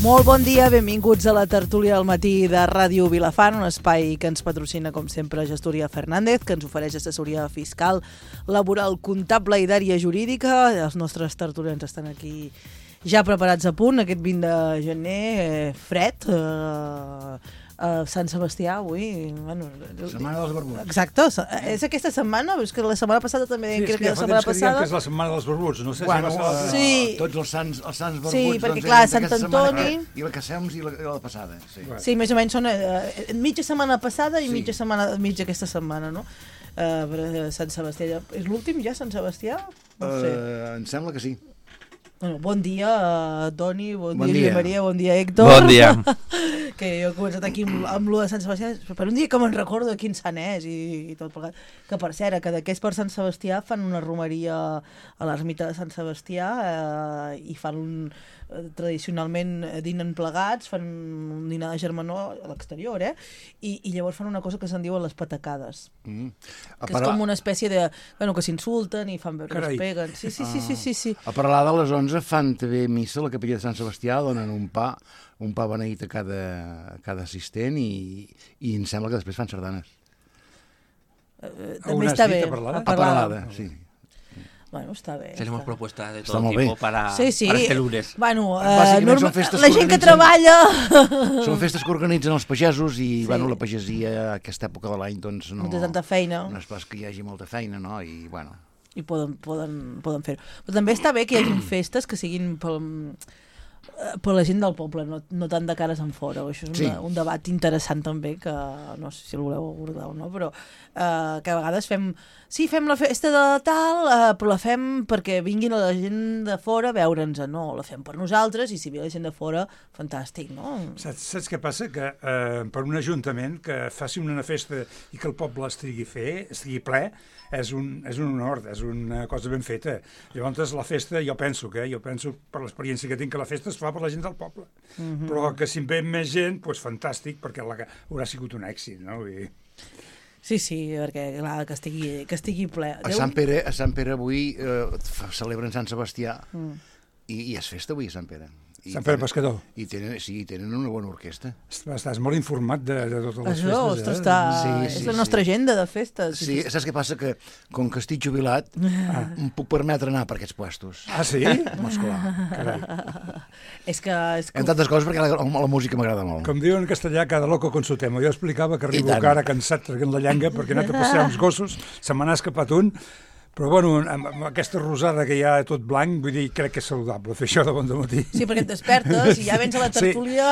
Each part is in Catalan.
Molt bon dia, benvinguts a la tertúlia del matí de Ràdio Vilafant, un espai que ens patrocina, com sempre, Gestoria Fernández, que ens ofereix assessoria fiscal, laboral, comptable i d'àrea jurídica. Els nostres tertulians estan aquí ja preparats a punt, aquest 20 de gener, fred, Sant Sebastià avui. Bueno, Setmana dels Barbuts. Exacte, és aquesta setmana, és que la setmana passada també sí, crec que la setmana passada... que és la setmana dels Barbuts, no sé bueno, si va ser sí. Tots els sants Barbuts. Sí, perquè doncs, clar, Sant Antoni... I la que sems i la passada. Sí. Sí, més o menys són mitja setmana passada i mitja aquesta setmana, no? Sant Sebastià, és l'últim ja, Sant Sebastià? No sé. Em sembla que sí. Bueno, bon dia, Toni, bon dia, Josep Maria, bon dia, Héctor. Bon dia. Que jo he començat aquí amb lo de Sant Sebastià, per un dia que me'n recordo de quin sant és i tot plegat. Que per cert, que d'aquests per Sant Sebastià fan una romeria a l'ermita de Sant Sebastià i fan tradicionalment dinen plegats, fan un dinar de germanor a l'exterior, i llavors fan una cosa que se'n diuen les patacades. Que és com una espècie de... Bueno, que s'insulten i fan veure que es peguen. Sí. A parlar de les 11 fan també missa a la capella de Sant Sebastià, donen un pa beneït a cada assistent i em sembla que després fan sardanes. També està bé. A Paralada, sí. Bueno, està bé. Tenemos propuestas de todo tipo para este lunes. Bueno, la gent que treballa... Són festes que organitzen els pagesos i bueno, la pagesia a aquesta època de l'any doncs no... No té tanta feina. No és pas que hi hagi molta feina, no? I bueno... I poden fer-ho. Però també està bé que hi hagi festes que siguin per la gent del poble, no tant de cares en fora. Això és un debat interessant també, que no sé si el voleu abordar o no, però que a vegades fem la festa de tal, però la fem perquè vinguin la gent de fora a veure'ns. No, la fem per nosaltres i si ve la gent de fora, fantàstic, no? Saps què passa? Que per un ajuntament que faci una festa i que el poble estigui ple, és un honor, és una cosa ben feta. Llavors la festa, jo penso per l'experiència que tinc, que la festa es fa per la gent del poble. Però que si en ve més gent, doncs fantàstic, perquè haurà sigut un èxit, no? Sí, perquè clar, que estigui ple. A Sant Pere avui celebren Sant Sebastià i és festa avui a Sant Pere. Sant Pere Pescador. I tenen una bona orquestra. Estàs molt informat de totes les festes. Ostres, és la nostra agenda de festes. Sí, saps què passa? Que com que estic jubilat em puc permetre anar per aquests puestos. Ah, sí? Carai. És que... En tantes coses perquè la música m'agrada molt. Com diuen en castellà, cada loco con su tema. Jo explicava que arribo cara cansat traient la llengua perquè he anat a passejar uns gossos, se me n'ha escapat un. Però, bueno, amb aquesta rosada que hi ha tot blanc, vull dir, crec que és saludable fer això de bon dematí. Sí, perquè et despertes i ja vens a la tertúlia...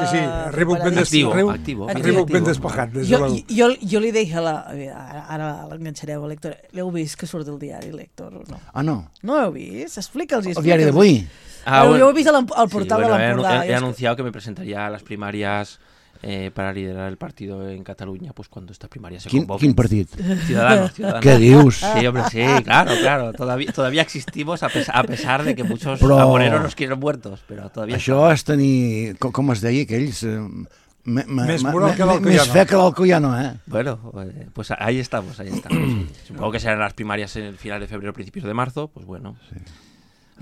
Sí, arribo ben despejat. Jo li deia ara l'enganxareu, l'Héctor. L'heu vist que surt del diari, l'Héctor, o no? Ah, no. No l'heu vist? Explica'ls. El diari d'avui? Jo ho he vist al portal de l'Empordà. He anunciado que me presentaría a las primarias para liderar el partido en Cataluña, pues cuando estas primarias se convoquen. ¿Quin partit? Ciudadanos. ¿Qué dius? Sí, hombre, sí, claro. Todavía existimos a pesar de que muchos amoreros nos quieren muertos, pero todavía... Això és tenir, com es deia, aquells... Més moral que l'Alcoyano. Més fe que l'Alcoyano, Bueno, pues ahí estamos. Supongo que serán las primarias en el final de febrero, principios de marzo, pues bueno... Sí.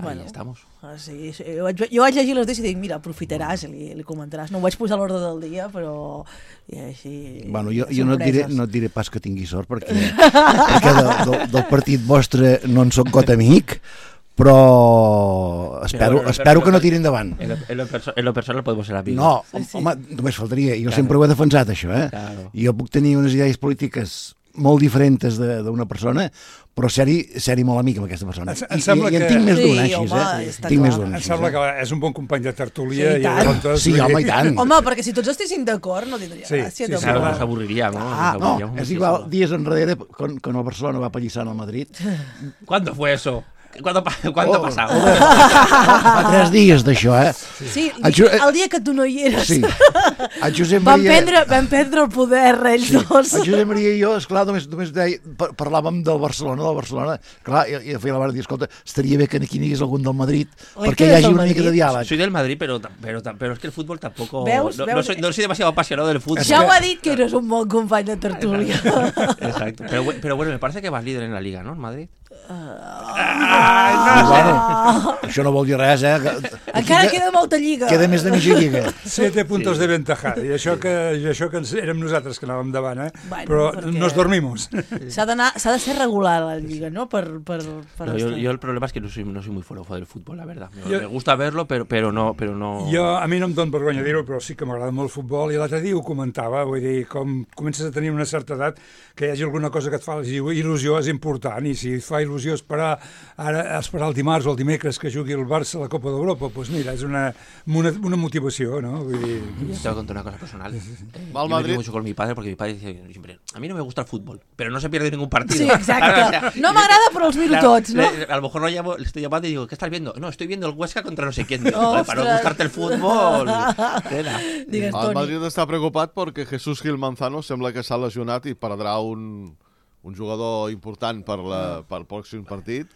Ahí estamos. Sí, jo vaig llegir les dues i dic, mira, aprofitaràs, li comentaràs. No ho vaig posar a l'ordre del dia, però... Bueno, jo no et diré pas que tingui sort, perquè del partit vostre no en soc got amic, però espero que no tiri endavant. En lo personal podemos ser amigos. No, home, només faltaria. Jo sempre ho he defensat, això, Claro. Jo puc tenir unes idees polítiques molt diferents d'una persona, però ser-hi molt amic amb aquesta persona. I en tinc més d'una, així, Tinc més d'una. Em sembla que és un bon company de tertúlia. Sí, home, i tant. Home, perquè si tots estiguessin d'acord no tindria gràcia. Claro, nos aburriríamos. No, és igual, dies enrere, quan el Barcelona va apallissar al Madrid. ¿Cuándo fue eso? ¿Cuándo ha pasado? Fa 3 dies d'això, Sí, el dia que tu no hi eres. Sí. El Josep Maria... Vam prendre el poder, ells dos. El Josep Maria i jo, esclar, només parlàvem del Barcelona. Clar, i feia la mare de dir, escolta, estaria bé que aquí n'hi hagués algun del Madrid, perquè hi hagi una mica de diàleg. Soy del Madrid, pero es que el fútbol tampoco... No soy demasiado apasionado del fútbol. Ja ho ha dit que eres un bon company de tertúlia. Exacto. Pero bueno, me parece que vas líder en la Liga, ¿no? En Madrid. Això no vol dir res, Encara queda molta lliga. Queda més de mitja lliga. 7 puntos de ventaja. I això que érem nosaltres que anàvem davant, Bueno, però perquè nos dormimos. S'ha de ser regular la lliga, ¿no? Yo el problema es que no soy muy forofo del fútbol, la verdad. Me gusta verlo, pero no... A mi no em dóna vergonya dir-ho, però sí que m'agrada molt el futbol, i l'altre dia ho comentava, vull dir, com comences a tenir una certa edat, que hi hagi alguna cosa que et fa il·lusió és important, i si et fa il·lusió esperar el dimarts o el dimecres que jugui el Barça a la Copa d'Europa, pues mira, és una motivació, ¿no? Vull dir... Yo te voy a contar una cosa personal. Yo me río mucho con mi padre, porque mi padre dice siempre, a mí no me gusta el fútbol, pero no se pierde ningún partido. Sí, exacte. No m'agrada, però els minuts, ¿no? A lo mejor le estoy llamando y digo, ¿qué estás viendo? No, estoy viendo el Huesca contra no sé quién. Para no gustarte el fútbol. Digues, el Madrid està preocupat perquè Jesús Gil Manzano sembla que s'ha lesionat i perdrà un jugador important per el pròxim partit.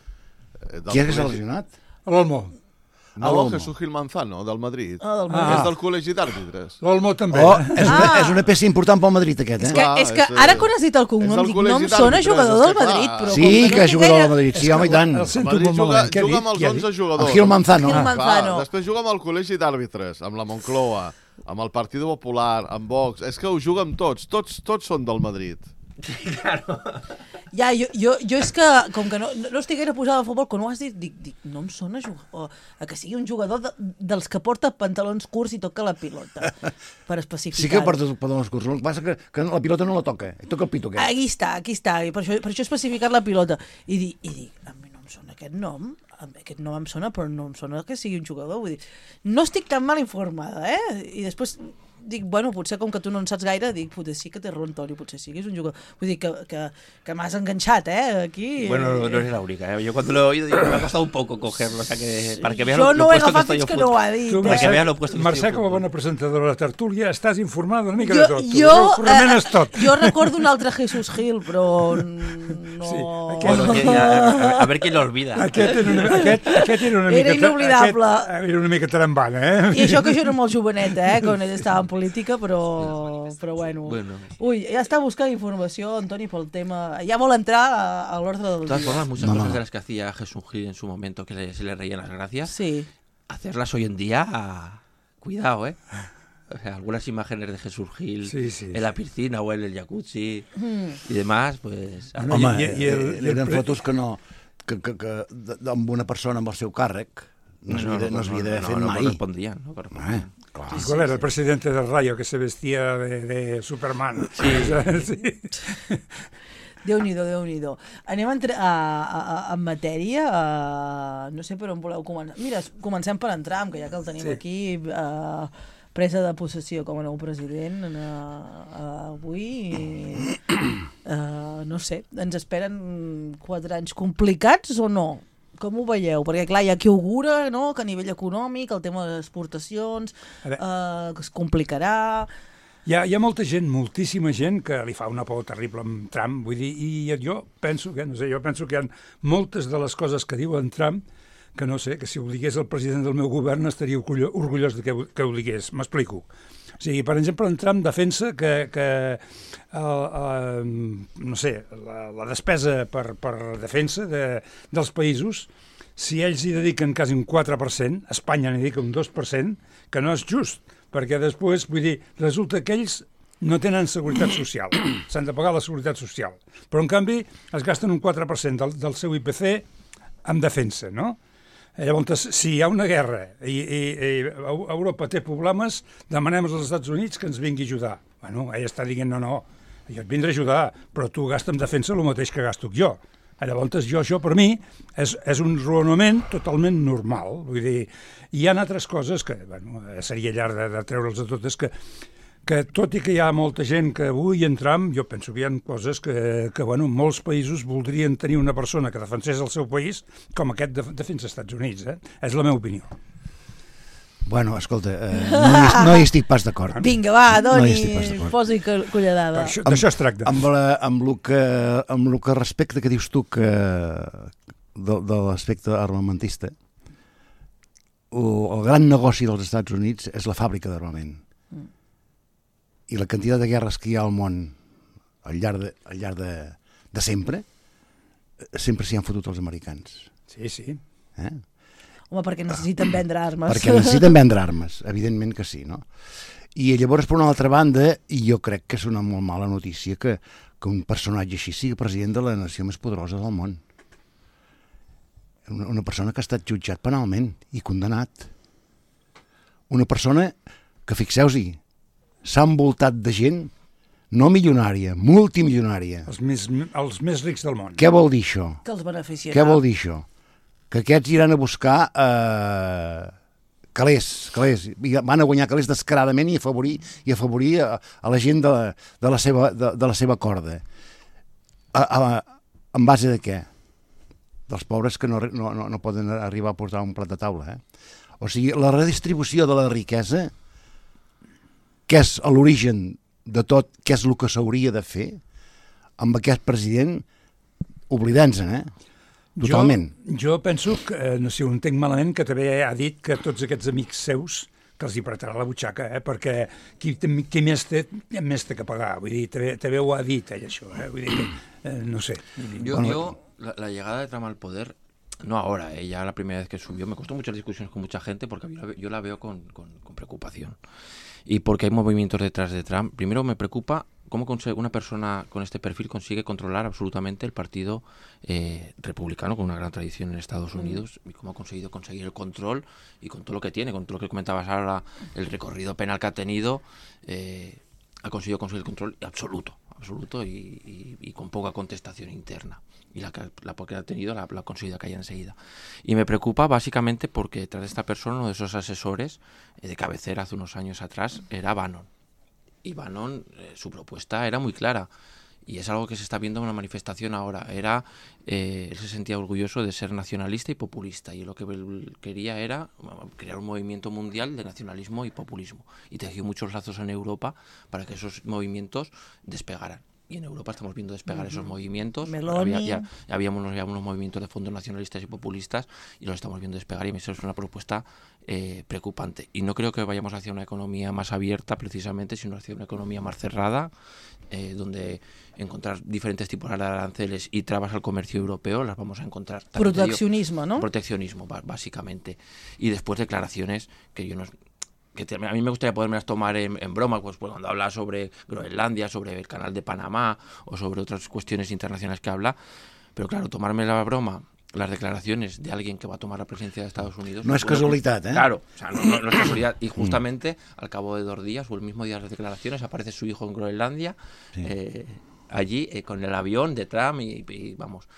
Qui és que s'ha lesionat? L'Olmo. No, Jesús Gil Manzano, del Madrid. És del col·legi d'àrbitres. L'Olmo també. És una peça important pel Madrid, aquest, És que ara quan has dit el cognom, dic, no em sona jugador del Madrid, però... Sí, que és jugador del Madrid, sí, home, i tant. El Madrid juga amb els 11 jugadors. El Gil Manzano. Després juga amb el col·legi d'àrbitres, amb la Moncloa, amb el Partido Popular, amb Vox. És que ho juga amb tots són del Madrid. Sí, claro. Ja, jo és que, com que no estic gaire posada al futbol, quan ho has dit, dic, no em sona a que sigui un jugador dels que porta pantalons curts i toca la pilota, per especificar. Sí que porta pantalons curts, el que passa que la pilota no la toca, toca el pito aquest. Aquí està, i per això he especificat la pilota. I dic, a mi no em sona aquest nom em sona, però no em sona que sigui un jugador, vull dir, no estic tan mal informada, I després... dic, bueno, potser com que tu no en saps gaire, dic, potser sí que té raó, Antoni, potser sí que és un jugador. Vull dir que m'has enganxat, aquí. Bueno, no eres la única, Yo cuando lo he oído, me ha costado un poco cogerlo, o sea que para que vean lo puesto que estoy yo. Que no ho ha dit. Para que vean lo puesto que Mercè, com a bona presentadora de la tertúlia, estàs informada una mica de tot. Jo recordo un altre Jesús Gil, però no... Sí, a ver quién lo olvida. Aquest era una mica... Era inoblidable. Era una mica trambana, I això que jo era molt jovenet, quan ell estava en política, però bueno. Uy, ya está buscando información, Antoni, por el tema. Ya vol entrar a l'ordre del día. De todas formas, muchas cosas de las que hacía Jesús Gil en su momento, que se le reían las gracias, sí. Hacerlas hoy en día, cuidado, O sea, algunas imágenes de Jesús Gil en la piscina o en el jacuzzi y demás, pues... Home, eren fotos que no... que amb una persona amb el seu càrrec no s'havia d'haver fet mai. No correspondían, no correspondían. ¿Cuál era el presidente del Rayo que se vestía de Superman? Sí. Déu-n'hi-do. Anem en matèria. No sé per on voleu començar. Mira, comencem per en Trump, que ja que el tenim aquí, presa de possessió com a nou president avui. No sé, ens esperen 4 anys complicats o no? Com ho veieu? Perquè, clar, hi ha qui augura, no?, que a nivell econòmic el tema de les exportacions es complicarà. Hi ha molta gent, moltíssima gent, que li fa una por terrible amb Trump, vull dir, i jo penso que hi ha moltes de les coses que diu en Trump que no sé, que si ho digués el president del meu govern estaria orgullós de que ho digués. M'explico. O sigui, per exemple, en Trump defensa que no sé, la despesa per defensa dels països, si ells hi dediquen quasi un 4%, Espanya n'hi dedica un 2%, que no és just, perquè després, vull dir, resulta que ells no tenen seguretat social, s'han de pagar la seguretat social, però en canvi es gasten un 4% del seu IPC en defensa, no? Llavors, si hi ha una guerra i Europa té problemes, demanem als Estats Units que ens vingui a ajudar. Bueno, ell està dient, no, jo et vindré a ajudar, però tu gasta en defensa el mateix que gasto jo. Llavors, això per mi és un raonament totalment normal. Vull dir, hi ha altres coses que, seria llarg de treure'ls a totes, que tot i que hi ha molta gent que avui en Trump, jo penso que hi ha coses que molts països voldrien tenir una persona que defensés el seu país com aquest defensa als Estats Units. És la meva opinió. Bueno, escolta, no hi estic pas d'acord. Vinga, va, Doni, posi colladada. D'això es tracta. Amb el que respecte que dius tu de l'aspecte armamentista, el gran negoci dels Estats Units és la fàbrica d'armament. I la quantitat de guerres que hi ha al món al llarg de sempre sempre s'hi han fotut els americans. Sí, sí. Home, perquè necessiten vendre armes. Perquè necessiten vendre armes, evidentment que sí, no? I llavors, per una altra banda, i jo crec que és una molt mala notícia que un personatge així sigui president de la nació més poderosa del món. Una persona que ha estat jutjat penalment i condemnat. Una persona que, fixeu-hi, s'ha envoltat de gent no milionària, multimilionària. Els més rics del món. Què vol dir això? Que els beneficiarà. Què vol dir això? Que aquests iran a buscar calés, van a guanyar calés descaradament i afavorir a la gent de la seva corda. En base de què? Dels pobres que no poden arribar a portar un plat de taula. O sigui, la redistribució de la riquesa, que és l'origen de tot, què és el que s'hauria de fer, amb aquest president, oblidant-se'n, totalment. Jo penso que, no sé, ho entenc malament, que també ha dit que tots aquests amics seus que els hi apretarà la butxaca, perquè qui més té que pagar. Vull dir, també ho ha dit ell, això. Vull dir, no sé. La llegada de Trump al poder, no ahora, ya la primera vez que subió, me costó muchas discusiones con mucha gente porque yo la veo con preocupación. Y porque hay movimientos detrás de Trump. Primero me preocupa cómo una persona con este perfil consigue controlar absolutamente el partido republicano, con una gran tradición en Estados Unidos, y cómo ha conseguir el control, y con todo lo que tiene, con todo lo que comentabas ahora, el recorrido penal que ha tenido, ha conseguido conseguir el control absoluto y con poca contestación interna. Y la que ha tenido la ha conseguido caer enseguida. Y me preocupa básicamente porque detrás de esta persona, uno de esos asesores de cabecera hace unos años atrás, era Bannon. Y Bannon, su propuesta era muy clara. Y es algo que se está viendo en una manifestación ahora. Él se sentía orgulloso de ser nacionalista y populista. Y lo que él quería era crear un movimiento mundial de nacionalismo y populismo. Y tejió muchos lazos en Europa para que esos movimientos despegaran. Y en Europa estamos viendo despegar esos movimientos. Había unos movimientos de fondos nacionalistas y populistas y los estamos viendo despegar, y eso es una propuesta preocupante. Y no creo que vayamos hacia una economía más abierta precisamente, sino hacia una economía más cerrada, donde encontrar diferentes tipos de aranceles y trabas al comercio europeo las vamos a encontrar. Proteccionismo, ¿no? Proteccionismo, básicamente. Y después declaraciones que yo no... a mí me gustaría podérmelas tomar en broma, pues cuando habla sobre Groenlandia, sobre el canal de Panamá o sobre otras cuestiones internacionales que habla, pero claro, tomarme la broma, las declaraciones de alguien que va a tomar la presidencia de Estados Unidos... No es casualidad, Claro, o sea, no es casualidad. Y justamente al cabo de 2 días o el mismo día de las declaraciones aparece su hijo en Groenlandia, allí con el avión de Trump y vamos,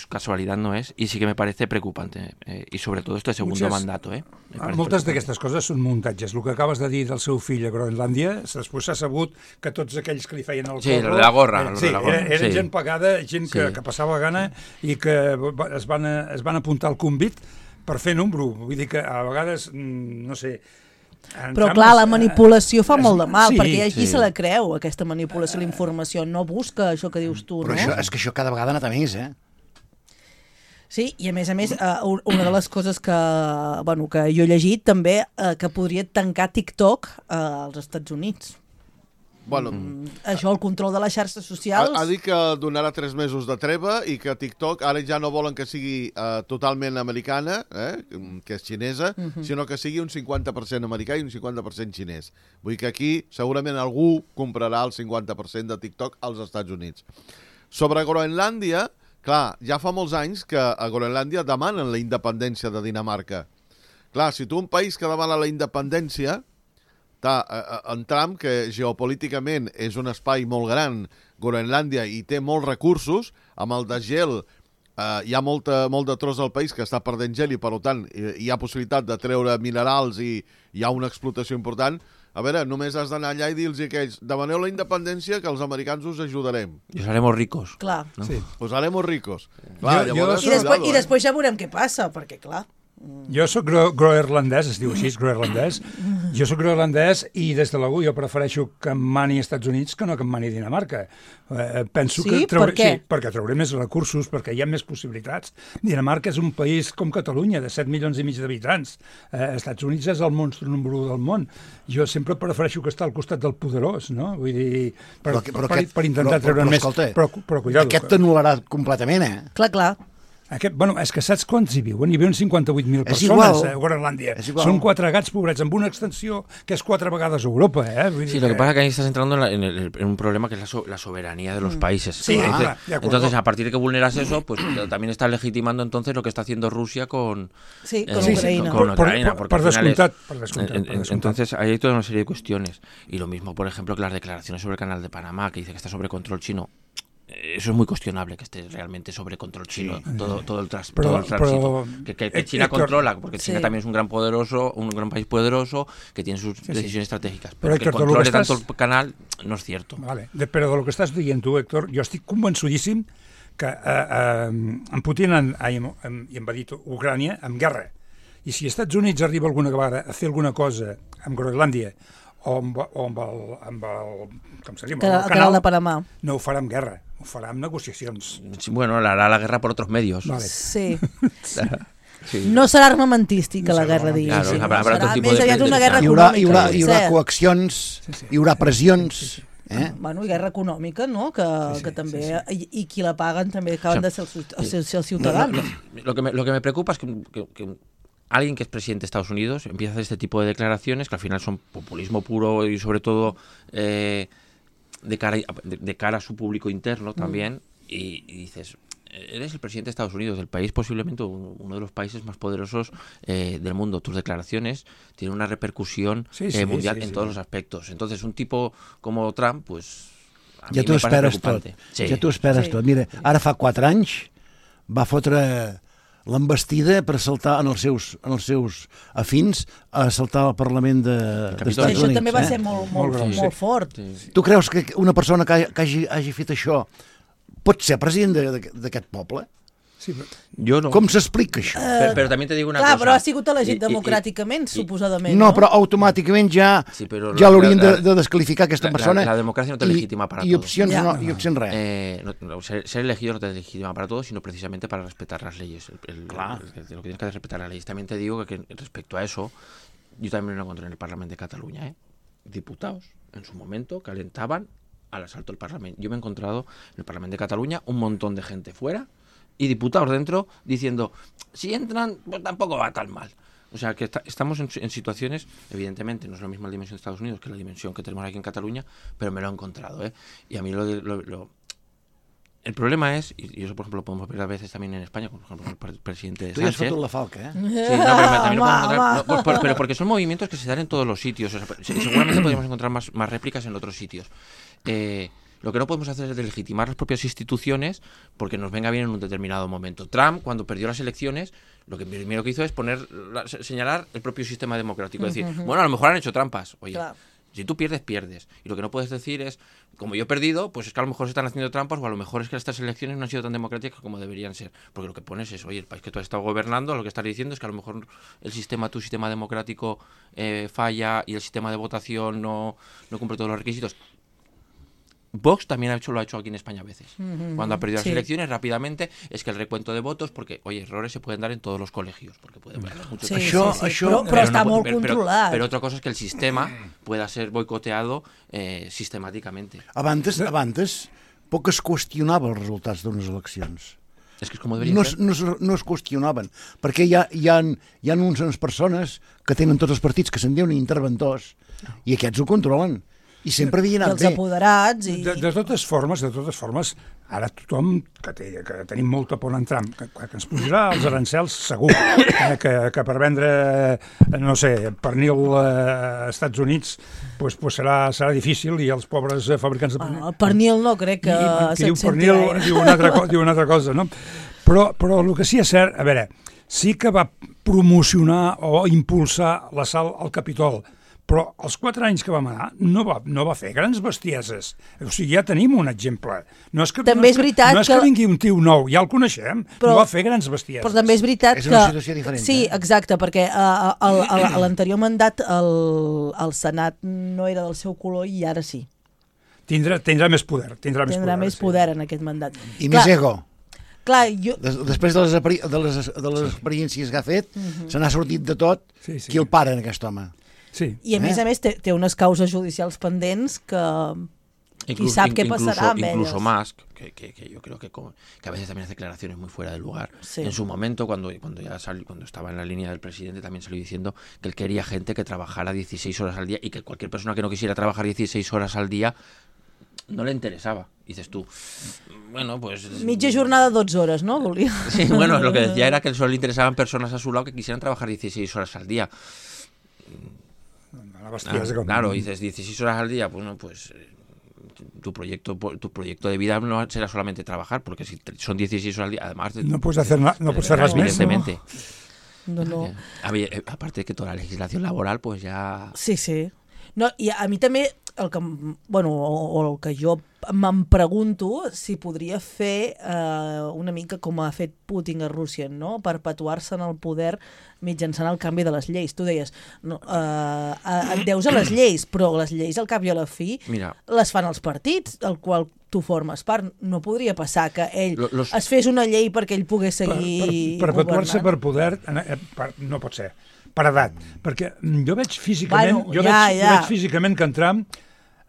casualidad no és, i sí que me parece preocupante, i sobretot este segundo mandato. Moltes d'aquestes coses són muntatges. El que acabes de dir del seu fill a Groenlàndia, després s'ha sabut que tots aquells que li feien el corro... Sí, de la gorra. Eren gent pagada, gent que passava gana i que es van apuntar al convit per fer número. Vull dir que a vegades, no sé... Però clar, la manipulació fa molt de mal, perquè hi ha qui se la creu, aquesta manipulació, la informació, no busca això que dius tu, no? Però és que això cada vegada ha anat a més, Sí, i a més, una de les coses que jo he llegit també, que podria tancar TikTok als Estats Units. Bueno, això, el control de les xarxes socials... Ha dit que donarà 3 mesos de treva i que TikTok ara ja no volen que sigui totalment americana, que és xinesa, sinó que sigui un 50% americà i un 50% xinès. Vull dir que aquí segurament algú comprarà el 50% de TikTok als Estats Units. Sobre Groenlàndia, clar, ja fa molts anys que a Groenlàndia demanen la independència de Dinamarca. Clar, si tu un país que demana la independència... En Trump, que geopolíticament és un espai molt gran, Groenlàndia, i té molts recursos, amb el desgel hi ha molt de tros del país que està perdent gel i, per tant, hi ha possibilitat de treure minerals i hi ha una explotació important. A veure, només has d'anar allà i dir-los a aquells, demaneu la independència que els americans us ajudarem. I us haremos ricos. Clar. No? Sí. Us haremos ricos. Clar, I després ja veurem què passa, perquè clar... Jo soc groenlandès, es diu així, groenlandès, Jo sóc groenlandès i des de l'algú jo prefereixo que em mani Estats Units que no que em mani Dinamarca. Penso que per què? Sí, perquè trauré més recursos, perquè hi ha més possibilitats. Dinamarca és un país com Catalunya, de 7 milions i mig d'habitants. Estats Units és el monstre número 1 del món. Jo sempre prefereixo que estar al costat del poderós, no? Vull dir, per intentar treure més... Però cuidado. Aquest t'anul·larà completament, Clar. Bueno, és que saps quants hi viuen? Hi viuen 58.000 persones a Groenlàndia. Són 4 gats pobrets, amb una extensió que és 4 vegades Europa. Vull dir lo que pasa es que ahí estás entrando en un problema que es la soberanía de los países. Sí, entonces, a partir de que vulneras eso, pues también está legitimando entonces lo que está haciendo Rusia con Ucraïna. Con Ucraïna, porque per al final descomptat. Entonces, ahí hay toda una serie de cuestiones. Y lo mismo, por ejemplo, que las declaraciones sobre el canal de Panamá, que dice que está sobre control chino. Eso es muy cuestionable, que esté realmente sobre control chino, todo el tránsito. Que China controla, porque China también es un gran país poderoso, que tiene sus decisiones estratègiques. Però que controle tanto el canal no és cierto. Vale. Però del que estàs dient tu, Héctor, jo estic convençudíssim que en Putin em va dir Ucrània amb guerra. I si als Estats Units arriba alguna vegada a fer alguna cosa amb Groenlàndia o amb el com se diu, el canal de Panamà, no ho farà amb guerra, ho farà amb negociacions. Bueno, hará la guerra por otros medios. Vale. Sí. No serà armamentística la guerra, diguéssim. Claro, habrá otro tipo de... una guerra hi haurà coaccions, hi haurà pressions... Bueno, i guerra econòmica, no? Que també, i qui la paguen també acaben de ser els ciutadans. Lo que me preocupa es que alguien que es presidente de Estados Unidos empieza a hacer este tipo de declaraciones que al final son populismo puro y sobre todo de cara a su público interno también, y dices, eres el presidente de Estados Unidos, del país posiblemente uno de los países más poderosos del mundo. Tus declaraciones tienen una repercusión mundial en todos los aspectos. Entonces, un tipo como Trump, pues a mí me parece preocupante. Ja t'ho esperes tot. Mira, ara fa 4 anys va fotre l'embestida per saltar en els seus afins a saltar al Parlament d'Estats Units. Això també va ser molt fort. Tu creus que una persona que hagi fet això pot ser president d'aquest poble? Sí, jo no. Com s'explica això? Però també te dic una cosa. Clar, però ha sigut elegit democràticament, suposadament. No, però automàticament ja l'haurien de descalificar aquesta persona. La democràcia no te legitima para todo. I opcions res. Ser elegido no te legitima para todo, sino precisamente para respetar las leyes. Lo que tienes que respetar las leyes. También te digo que respecto a eso, yo también lo encontré en el Parlamento de Cataluña. Diputados, en su momento, calentaban al asalto del Parlamento. Yo me he encontrado en el Parlamento de Cataluña un montón de gente fuera y diputados dentro diciendo, si entran, pues tampoco va tan mal. O sea, que estamos en situaciones, evidentemente, no es la misma dimensión de Estados Unidos que la dimensión que tenemos aquí en Cataluña, pero me lo he encontrado, Y a mí el problema es, y eso por ejemplo lo podemos ver a veces también en España, por ejemplo el presidente Sánchez. Tú ya has fotut la falca, Sí, no, pero también lo podemos encontrar, pero porque son movimientos que se dan en todos los sitios. O sea, seguramente podríamos encontrar más réplicas en otros sitios. Lo que no podemos hacer es delegitimar las propias instituciones porque nos venga bien en un determinado momento. Trump, cuando perdió las elecciones, lo que primero que hizo es señalar el propio sistema democrático. Decir, bueno, a lo mejor han hecho trampas. Oye, claro. Si tú pierdes, pierdes. Y lo que no puedes decir es, como yo he perdido, pues es que a lo mejor se están haciendo trampas o a lo mejor es que estas elecciones no han sido tan democráticas como deberían ser. Porque lo que pones es, oye, el país que tú has estado gobernando, lo que estás diciendo es que a lo mejor tu sistema democrático falla y el sistema de votación no cumple todos los requisitos. Vox también lo ha hecho aquí en España a veces. Cuando ha perdido las elecciones, rápidamente, es que el recuento de votos, porque, oye, errores se pueden dar en todos los colegios, porque puede haver muchos però està molt controlat. Pero otra cosa es que el sistema pueda ser boicoteado sistemáticamente. Abans, poc es qüestionava els resultats d'unes eleccions. És que és com deberia ser. No es qüestionaven, perquè hi ha unes persones que tenen tots els partits que se'n diuen interventors, i aquests ho controlen. I sempre havia anat bé. I els apoderats... De totes formes, ara tothom que tenim molta por en Trump, que ens posarà els arancels segur, que per vendre, no sé, pernil als Estats Units pues serà difícil i els pobres fabricants de pernil... El pernil no crec que se'n senti gaire. Diu una altra cosa, no? Però el que sí és cert, a veure, sí que va promocionar o impulsar l'assalt al Capitol, però els 4 anys que vam anar no va fer grans bestieses. O sigui, ja tenim un exemple. No és que, També és veritat no és que vingui un tio nou, ja el coneixem, no va fer grans bestieses. Però també és veritat És que... una situació diferent. Sí, exacte, perquè a l'anterior mandat el Senat no era del seu color i ara sí. Tindrà més poder. Tindrà més poder en aquest mandat. I més ego. Clar, jo... Després de les experiències que ha fet, se n'ha sortit de tot. Sí. Qui el para, en aquest home? Sí. I a més té unes causes judicials pendents que... Qui sap qué pasará amb incluso ellos. más, que yo creo que a veces también hace declaraciones muy fuera de lugar. Sí. En su momento, cuando estaba en la línea del presidente, también salió diciendo que él quería gente que trabajara 16 horas al día y que cualquier persona que no quisiera trabajar 16 horas al día no le interesaba. Dices tú, bueno, pues... Mitja jornada 12 hores, ¿no? Volia. Sí, bueno, lo que decía era que solo le interesaban personas a su lado que quisieran trabajar 16 horas al día. Claro, dices 16 horas al día, bueno, pues tu proyecto de vida no será solamente trabajar, porque si son 16 horas al día, además... No puedes hacer res més, no? Evidentemente. No. Aparte de que toda la legislación laboral, pues ya... Sí. No, i a mi també el que, el que jo me'n pregunto si podria fer una mica com ha fet Putin a Rússia, no? Perpetuar-se en el poder mitjançant el canvi de les lleis. Tu deies, et deus a les lleis, però les lleis al cap i a la fi les fan els partits, el qual tu formes part. No podria passar que ell es fes una llei perquè ell pogués seguir perpetuar-se per poder no pot ser. Per edat, perquè jo veig físicament, veig físicament que en Trump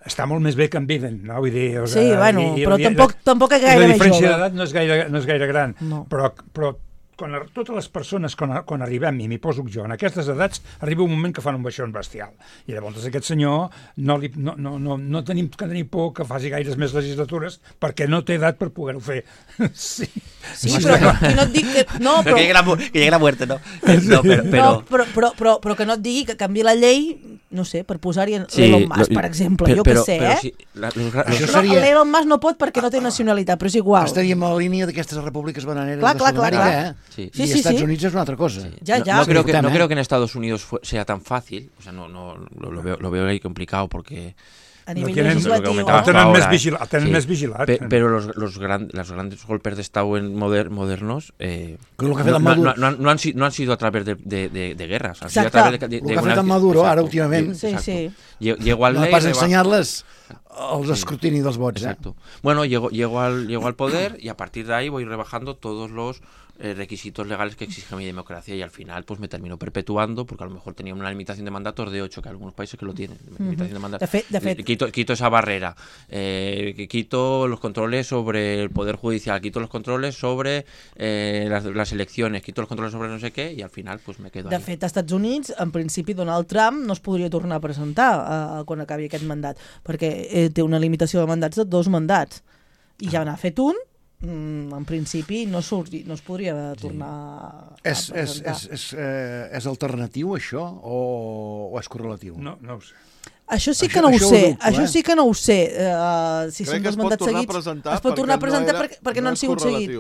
està molt més bé que en Biden, no? Vull dir, sí, però tampoc és gaire més jove. La diferència d'edat no és gaire gran, no. Però totes les persones, quan arribem, i m'hi poso jo, en aquestes edats, arriba un moment que fan un baixón bestial. I llavors aquest senyor no tenim que tenir por que faci gaires més legislatures perquè no té edat per poder-ho fer. Sí, però no et dic que... No, però... Que llegue la muerte, no? Però que no et digui que canvi la llei, no sé, per posar-hi Elon Musk, per exemple, jo què sé, l'Elon Musk no pot perquè no té nacionalitat, però és igual. Estaríem a la línia d'aquestes repúbliques bananeres de Sud-amèrica, Sí. Y Estados Unidos es una otra cosa. Sí. No creo que en Estados Unidos sea tan fácil, o sea, lo veo ahí complicado porque... A nivell legislatiu. Tenen més vigilat. Pero los grandes golpes de Estado modernos no han sido a través de guerras, han sido a través de lo que ha fet en Maduro ara últimament. Sí. Llegó al no pas ensenyar-les els escrutini dels vots. Exacto. Bueno, llego al poder y a partir de ahí voy rebajando todos los requisitos legales que exige mi democracia y al final pues me termino perpetuando porque a lo mejor tenía una limitación de mandatos de 8, que hay algunos países que lo tienen, limitación de mandatos. De fet. Quito esa barrera, quito los controles sobre el poder judicial, quito los controles sobre las elecciones, quito los controles sobre no sé què y al final pues me quedo ahí. De fet, als Estats Units, en principi, Donald Trump no es podria tornar a presentar quan acabi aquest mandat, perquè té una limitació de mandats de 2 mandats i ja n'ha fet un. En principi no es podria tornar a presentar. És alternatiu això o és correlatiu? No ho sé. Això sí que no ho sé. Això sí que no ho sé. Si són 2 mandats seguits, es pot tornar a presentar perquè no han sigut seguits.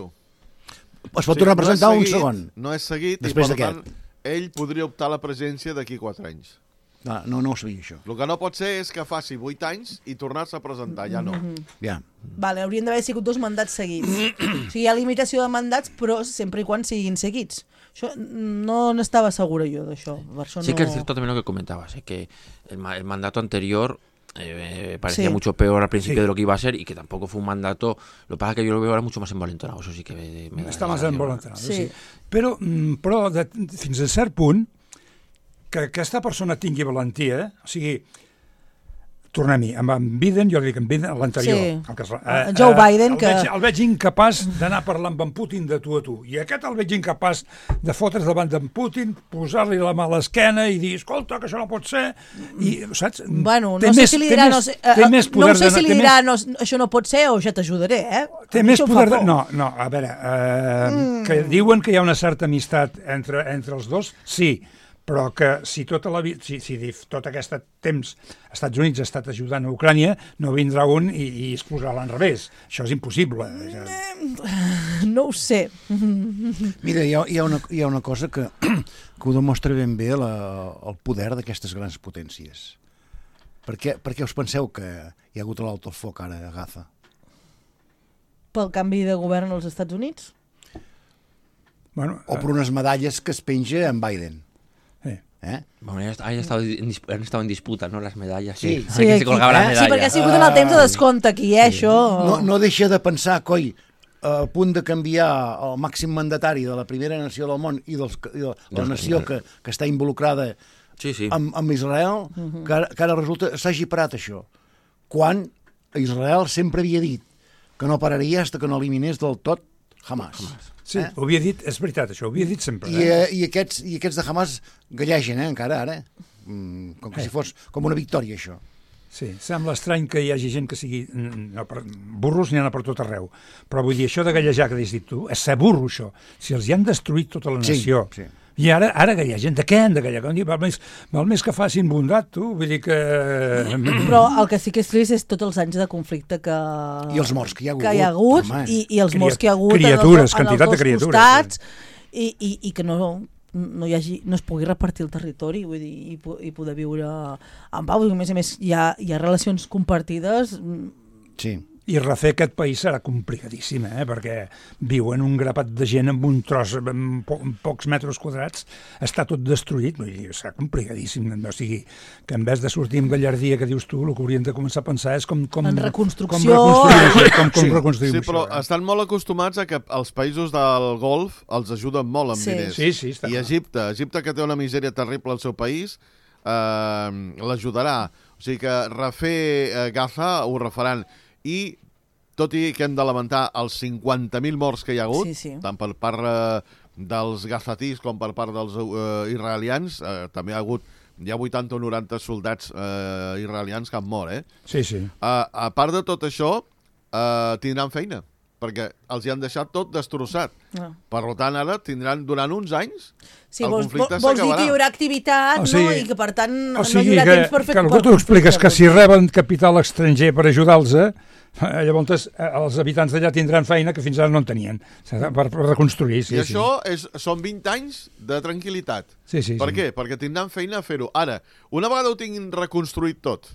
Es pot tornar a presentar un segon. No és seguit i per tant ell podria optar a la presidència d'aquí 4 anys. No ho sabia, això. El que no pot ser és que faci 8 anys i tornar-se a presentar, ja no. Ja. Vale, haurien d'haver sigut 2 mandats seguits. O sigui, hi ha limitació de mandats, però sempre i quan siguin seguits. Això no n'estava segura jo d'això. Sí que es cierto también lo que comentabas, que el mandato anterior parecía mucho peor al principio de lo que iba a ser y que tampoco fue un mandato. Lo que pasa es que yo lo veo ahora mucho más envalentonado, eso sí que me da. Està més envalentonado, sí. Però fins a cert punt que aquesta persona tingui valentia, o sigui, tornem-hi, amb en Biden, jo dic en Biden, l'anterior. Sí, Joe Biden, que... El veig incapaç d'anar parlant amb en Putin de tu a tu, i aquest el veig incapaç de fotre's davant d'en Putin, posar-li la mà a l'esquena i dir, escolta, que això no pot ser, i, saps? Bueno, no sé si li dirà, no sé si li dirà, això no pot ser, o ja t'ajudaré, Té més poder... No, a veure, que diuen que hi ha una certa amistat entre els dos, sí, però que si tot aquest temps Estats Units ha estat ajudant a Ucrània, no vindrà un i es posarà a l'enrevés. Això és impossible. No ho sé. Mira, hi ha una cosa que ho demostra ben bé el poder d'aquestes grans potències. Per què us penseu que hi ha hagut l'alto el foc ara a Gaza? Pel canvi de govern als Estats Units? Bueno, o per unes medalles que es penja en Biden. Bueno, han estado en disputa, ¿no? Las medallas. Sí, sí, que se colgaba la medalla. Sí, perquè ha sigut en el temps de descompte aquí, això. No deixa de pensar, coi, a punt de canviar el màxim mandatari de la primera nació del món i de la nació que està involucrada amb Israel, que ara resulta s'hagi parat això. Quan Israel sempre havia dit que no pararia fins que no eliminés del tot Hamas. Sí, ho havia dit, és veritat, això, ho havia dit sempre. I aquests de Hamas gallegen, encara ara. Com que si fos com una victòria, això. Sí, sembla estrany que hi hagi gent que sigui... burros n'hi ha per tot arreu. Però vull dir, això de gallejar que has dit tu, és ser burro, això. Si els hi han destruït tota la nació... Sí. I ara gallegen. De què han de gallegar? Val més que facin bondat, tu. Vull dir que... Però el que sí que és trist és tots els anys de conflicte que... I els morts que hi ha hagut. I els morts que hi ha hagut criatures, quantitat de criatures. Costats, i que no es pugui repartir el territori, vull dir, i poder viure en pau. A més, hi ha relacions compartides. Sí. I refer aquest país serà complicadíssim, perquè viuen un grapat de gent amb un tros, amb pocs metres quadrats, està tot destruït, vull dir, serà complicadíssim. O sigui, que en vez de sortir amb gallardia, que dius tu, el que hauríem de començar a pensar és com en reconstrucció. Com reconstruïm això. Sí, però estan molt acostumats a que els països del Golf els ajuden molt amb diners. Sí, està I Egipte, que té una misèria terrible al seu país, l'ajudarà. O sigui que refer Gaza ho refaran. I tot i que hem de lamentar els 50.000 morts que hi ha hagut, tant per part dels gazatís com per part dels israelians, també hi ha 80 o 90 soldats israelians que han mort, Sí. A part de tot això, tindran feina, perquè els hi han deixat tot destrossat. Per tant, ara tindran, durant uns anys, el conflicte s'acabarà. Vols dir que hi haurà activitat, i que, per tant, no hi haurà temps per fer... Que algú t'ho expliques, que si reben capital estranger per ajudar-los, llavors els habitants d'allà tindran feina que fins ara no en tenien, per reconstruir. I això són 20 anys de tranquil·litat. Per què? Perquè tindran feina a fer-ho. Ara, una vegada ho tinguin reconstruït tot,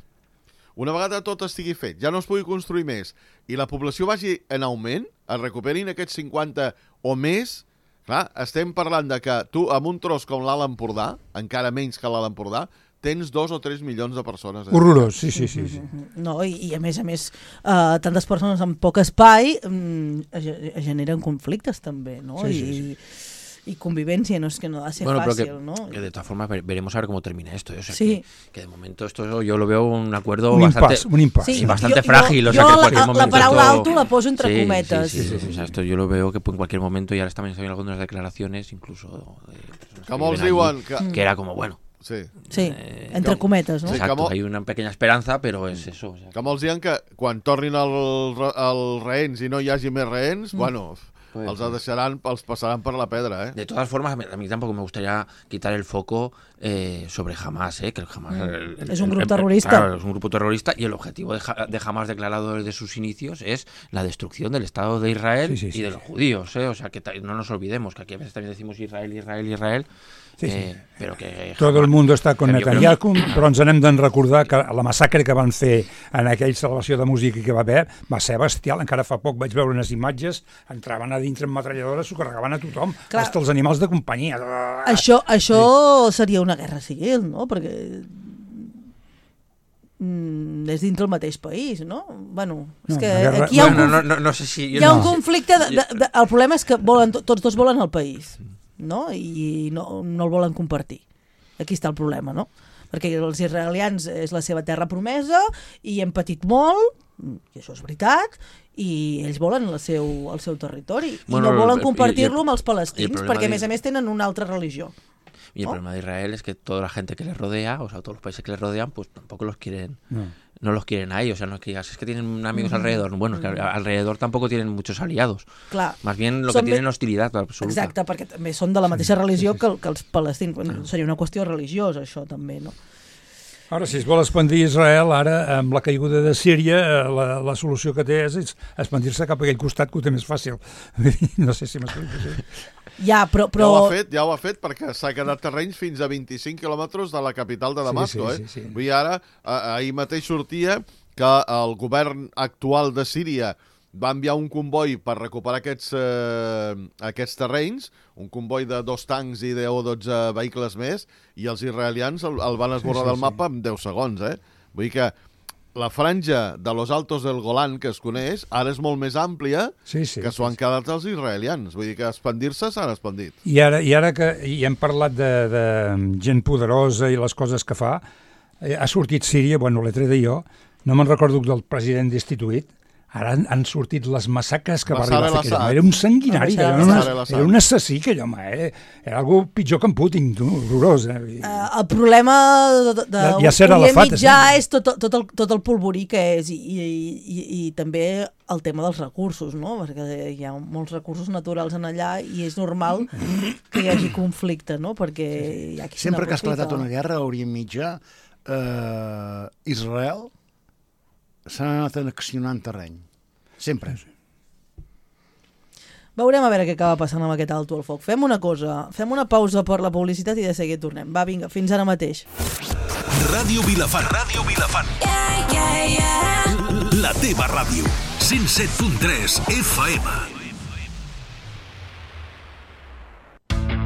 una vegada tot estigui fet, ja no es pugui construir més, i la població vagi en augment, es recuperin aquests 50 o més, clar, estem parlant de que tu, amb un tros com l'Alt Empordà, encara menys que l'Alt Empordà, tens 2 o 3 milions de persones. Horrorós, sí. No, i a més, tantes persones amb poc espai generen conflictes també, no? Y convivencia, no es que no va a ser fácil, ¿no? Que de todas formas veremos a ver cómo termina esto. O sea, sí. que de momento esto yo lo veo un acuerdo un bastante impasse. Sí, bastante frágil. O sea, que en cualquier momento la paraula alto la poso entre cometas. Sí. O sea, esto yo lo veo que en cualquier momento, y ahora también se ven algunas declaraciones, incluso como els diuen que era como, bueno, sí, entre cometes, no? Exacto, hay una pequeña esperanza, però és eso. O sea, que molts diuen que quan tornin els rehens i no hi hagi més rehens, bueno, els deixaran, els passaran per la pedra, De todas formas, a mí tampoco me gustaría quitar el foco sobre Hamas, que el Hamas... es un grupo terrorista. Claro, es un grupo terrorista y el objetivo de Hamas declarado desde sus inicios es la destrucción del Estado de Israel y de los judíos, O sea, que no nos olvidemos que aquí a veces también decimos Israel, però que... Tot el món està con Netanyahu, però ens n'hem de recordar que la massacre que van fer en aquella celebració de música que va haver va ser bestial. Encara fa poc vaig veure unes imatges, entraven a dintre amb metralladores, s'ho carregaven a tothom, fins als animals de companyia. Això seria una guerra civil, no? Perquè és dintre el mateix país, no? Bueno, és que aquí hi ha no sé si... Hi ha un conflicte... El problema és que tots dos volen el país, no? I no el volen compartir. Aquí està el problema, no? Perquè els israelians és la seva terra promesa i hem patit molt, i això és veritat, i ells volen el seu territori i no volen compartir-lo amb els palestins, perquè a més tenen una altra religió. Y el problema de Israel es que toda la gente que les rodea, o sea, todos los países que les rodean, pues tampoco los quieren no los quieren ahí, o sea, no es que digas, es que tienen amigos alrededor. Bueno, es que alrededor tampoco tienen muchos aliados. Clar. Más bien lo que tienen hostilidad absoluta. Exacte, perquè també són de la mateixa religió que els palestins. Bueno, seria una qüestió religiosa, això, també, no? Ara, si es vol expandir Israel, ara, amb la caiguda de Síria, la solució que té és expandir-se cap a aquell costat que ho té més fàcil. No sé si m'explico així. Ja, però... Ja ho ha fet perquè s'ha quedat terrenys fins a 25 quilòmetres de la capital de Damasco. Sí. Vull dir, ara, ahir mateix sortia que el govern actual de Síria va enviar un comboi per recuperar aquests terrenys, un comboi de 2 tancs i 10 o 12 vehicles més, i els israelians el van esborrar del mapa en 10 segons. Vull dir que la franja de los Altos del Golán, que es coneix, ara és molt més àmplia que s'ho han quedat els israelians. Vull dir que expandir-se s'han expandit. I ara que hem parlat de gent poderosa i les coses que fa, ha sortit Síria, bueno, l'he tret jo, no me'n recordo del president destituït, ara han sortit les massacres que va arribar a fer aquell home. Era un sanguinari, era un assassí aquell home, era algo pitjor que en Putin, horrorós. El problema d'Orient Mitjà és tot el polvorí que és i també el tema dels recursos, no? Perquè hi ha molts recursos naturals en allà i és normal que hi hagi conflicte, no? Perquè hi ha qui se n'aprofita. Sempre que ha esclatat una guerra a Orient Mitjà, Israel s'ha anat annexionant terreny. Sempre. Veurem a veure què acaba passant amb aquest alto al foc. Fem una cosa, fem una pausa per la publicitat i de seguida tornem. Va, vinga, fins ara mateix. Ràdio Vilafant. Ràdio Vilafant. La teva ràdio. 107.3 FM.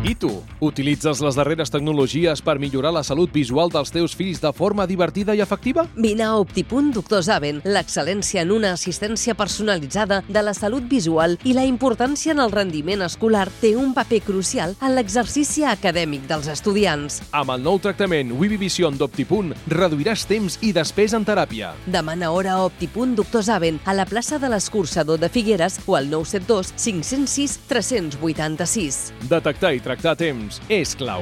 I tu, utilitzes les darreres tecnologies per millorar la salut visual dels teus fills de forma divertida i efectiva? Vine a Optipunt Doctor Zaven, l'excel·lència en una assistència personalitzada de la salut visual i la importància en el rendiment escolar té un paper crucial en l'exercici acadèmic dels estudiants. Amb el nou tractament Vivivision d'Optipunt reduiràs temps i despesa en teràpia. Demana hora a Optipunt Doctor Zaven a la plaça de l'Escurçador de Figueres o al 972 506 386. Detectar i tractar a temps és clau.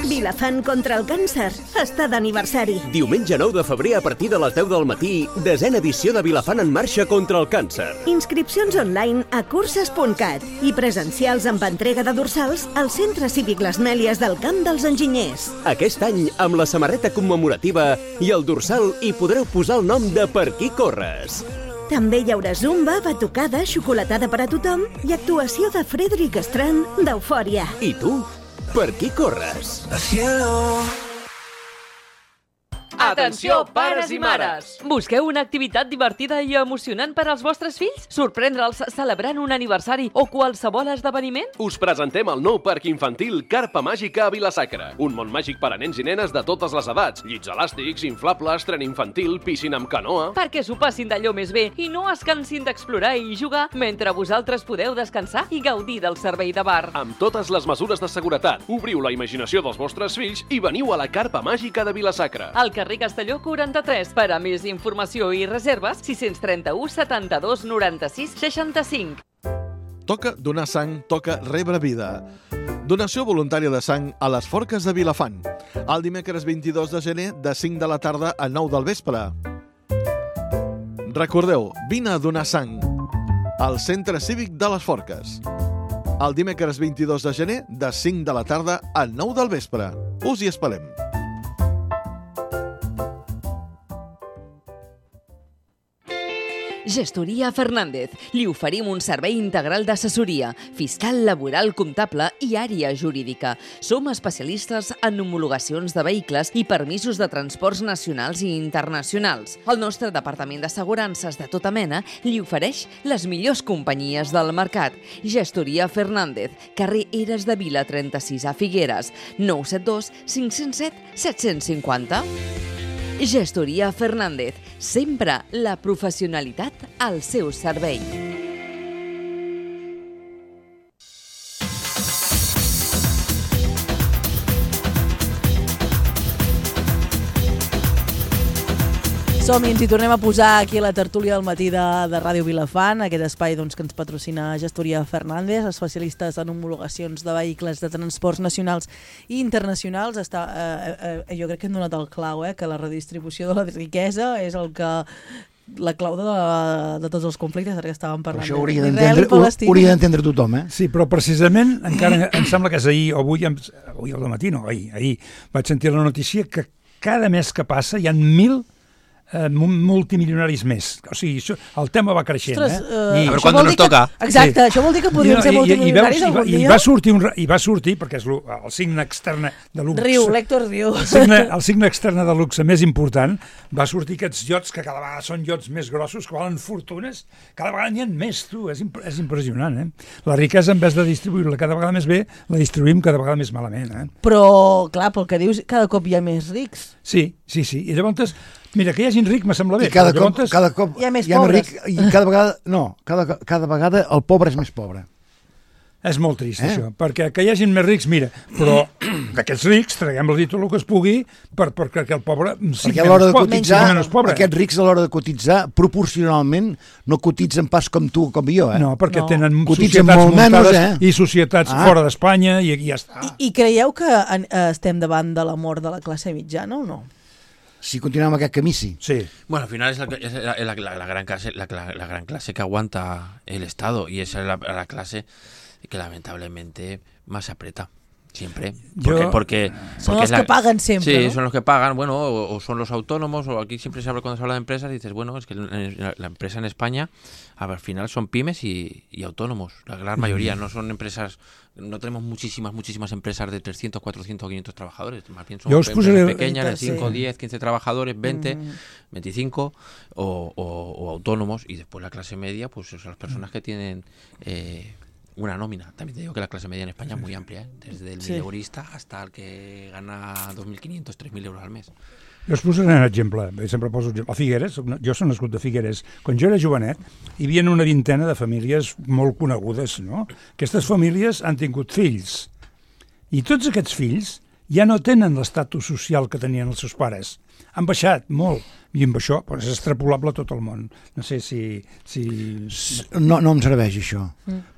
Vilafant contra el càncer està d'aniversari. Diumenge 9 de febrer a partir de les 10 del matí, 10ª edició de Vilafant en marxa contra el càncer. Inscripcions online a curses.cat i presencials amb entrega de dorsals al Centre Cívic Les Mèlies del Camp dels Enginyers. Aquest any, amb la samarreta commemorativa i el dorsal hi podreu posar el nom de Per qui corres. També hi haurà zumba, batucada, xocolatada per a tothom i actuació de Frederic Strand d'Eufòria. I tu, per qui corres? Atenció, pares i mares! Busqueu una activitat divertida i emocionant per als vostres fills? Sorprendre'ls celebrant un aniversari o qualsevol esdeveniment? Us presentem el nou parc infantil Carpa Màgica a Vila-sacra. Un món màgic per a nens i nenes de totes les edats. Llits elàstics, inflables, tren infantil, piscina amb canoa... Perquè s'ho passin d'allò més bé i no es cansin d'explorar i jugar mentre vosaltres podeu descansar i gaudir del servei de bar. Amb totes les mesures de seguretat. Obriu la imaginació dels vostres fills i veniu a la Carpa Màgica de Vila-sacra. Al carrer Castelló 43. Per a més informació i reserves, 631 72 96 65. Toca donar sang, toca rebre vida. Donació voluntària de sang a les Forques de Vilafant. El dimecres 22 de gener, de 5 de la tarda a 9 del vespre. Recordeu, vine a donar sang al Centre Cívic de les Forques. El dimecres 22 de gener, de 5 de la tarda a 9 del vespre. Us hi esperem. Gestoria Fernández. Li oferim un servei integral d'assessoria, fiscal, laboral, comptable i àrea jurídica. Som especialistes en homologacions de vehicles i permisos de transports nacionals i internacionals. El nostre departament d'assegurances de tota mena li ofereix les millors companyies del mercat. Gestoria Fernández, carrer Eres de Vila 36 a Figueres, 972 507 750. Gestoria Fernández, sempre la professionalitat al seu servei. Som-hi, ens hi tornem a posar aquí a la tertúlia del matí de Ràdio Vilafant, aquest espai doncs, que ens patrocina Gestoria Fernández, especialistes en homologacions de vehicles de transports nacionals i internacionals. Jo crec que hem donat el clau, que la redistribució de la riquesa és la clau de tots els conflictes, ara que estàvem parlant d'Israel i Palestina. Hauria d'entendre tothom, Sí, però precisament, encara em sembla que és ahir o avui al matí, no, ahir vaig sentir la notícia que cada mes que passa hi ha 1.000 multimilionaris més. O sigui, el tema va creixent. A veure quan nos toca. Exacte, això vol dir que podríem ser multimilionaris algun dia. I va sortir, perquè és el signe externe de luxe. Riu, l'Héctor riu. El signe externe de luxe més important, va sortir aquests iots que cada vegada són iots més grossos, que valen fortunes, cada vegada n'hi ha més, tu. És impressionant, La riquesa, en vez de distribuir-la cada vegada més bé, la distribuïm cada vegada més malament, Però, clar, pel que dius, cada cop hi ha més rics. Sí. I llavors, mira, que hi hagin ric me sembla bé. I cada cop hi ha més pobres. Ric, i cada vegada el pobre és més pobre. És molt trist, això, perquè que hi hagin més rics, mira, però d'aquests rics traguem-los tot el que es pugui perquè el pobre sigui menys pobre. Aquests rics a l'hora de cotitzar, proporcionalment, no cotitzen pas com tu o com jo. No, perquè tenen societats muntades i societats fora d'Espanya i ja està. I creieu que estem davant de la mort de la classe mitjana o no? Si continuem amb aquest camí, sí. Bueno, al final es la gran clase que aguanta el Estado y esa es la clase que lamentablemente más aprieta siempre. Porque son los que pagan siempre. Sí, ¿no? son los que pagan, bueno, o son los autónomos, o aquí siempre se habla, cuando se habla de empresas, dices, bueno, es que la empresa en España, al final son pymes y autónomos, la gran mayoría, no son empresas, no tenemos muchísimas empresas de 300, 400 o 500 trabajadores, más bien son empresas pequeñas de 5, 10, 15 trabajadores, 20, 25 o autónomos, y después la clase media, pues son las personas que tienen una nómina. También te digo que la clase media en España es muy amplia, desde el mileurista hasta el que gana 2.500, 3.000 euros al mes. Jo us posaré un exemple, sempre poso a Figueres, jo soc nascut de Figueres. Quan jo era jovenet, hi havia una vintena de famílies molt conegudes, no? Aquestes famílies han tingut fills, i tots aquests fills ja no tenen l'estatus social que tenien els seus pares. Han baixat molt, i amb això és extrapolable a tot el món. No sé si... No em serveix això.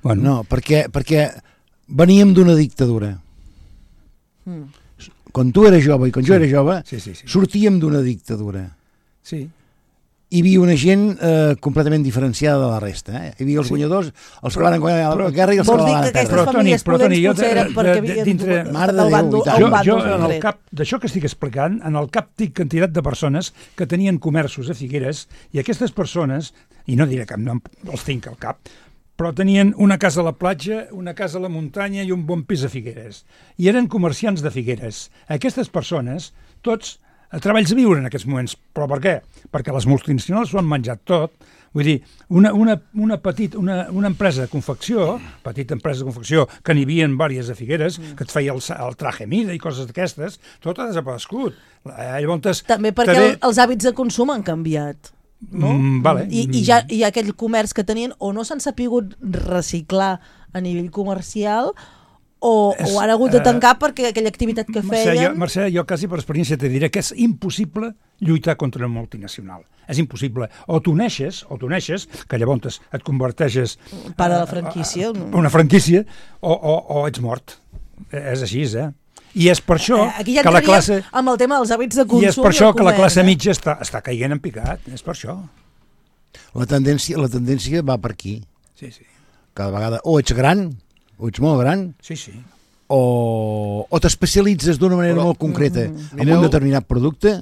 Bueno. No, perquè veníem d'una dictadura. Quan tu eres jove i quan jo era jove, sortíem d'una dictadura. Sí. Hi havia una gent completament diferenciada de la resta. Hi havia els guanyadors, els que van guanyar la guerra i els que la van perdre. Però Toni, jo en el cap d'això que estic explicant, en el cap tinc quantitat de persones que tenien comerços a Figueres, i aquestes persones, i no diré cap nom, els tinc al cap, però tenien una casa a la platja, una casa a la muntanya i un bon pis a Figueres. I eren comerciants de Figueres. Aquestes persones, tots, treballs a viure en aquests moments. Però per què? Perquè les multinacionals s'ho han menjat tot. Vull dir, una empresa de confecció, petita empresa de confecció, que n'hi havia diverses a Figueres, que et feia el traje mida i coses d'aquestes, tot ha desaparegut. També perquè els hàbits de consum han canviat. No? Vale. I aquell comerç que tenien o no s'han sapigut reciclar a nivell comercial o han hagut de tancar perquè aquella activitat que feien... Mercè, jo quasi per experiència te diré que és impossible lluitar contra una multinacional. És impossible. O t'uneixes, que llavors et converteixes... Part de la franquícia. Una franquícia, o ets mort. És així, I és per això que la classe... amb el tema dels hàbits de consum... I és per això que la classe mitja està caient en picat. És per això. La tendència va per aquí. Sí. Cada vegada o ets gran, o ets molt gran, o t'especialitzes d'una manera molt concreta en un determinat producte,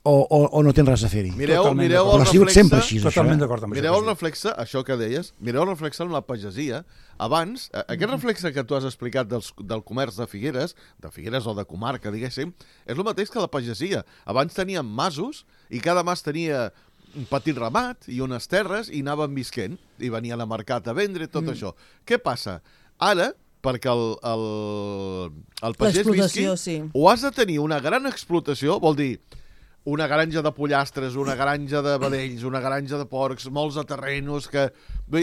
o no tens res a fer-hi. Mireu el reflexe... Totalment d'acord amb això. Mireu el reflexe, això que deies, mireu el reflexe en la pagesia. Abans, aquest reflexe que tu has explicat del comerç de Figueres o de comarca, diguéssim, és el mateix que la pagesia. Abans teníem masos i cada mas tenia un petit ramat i unes terres i anaven visquent i venien a mercat a vendre tot això. Què passa? Ara, perquè el pagès visqui, o has de tenir una gran explotació, vol dir, una granja de pollastres, una granja de vedells, una granja de porcs, molts de terrenos, que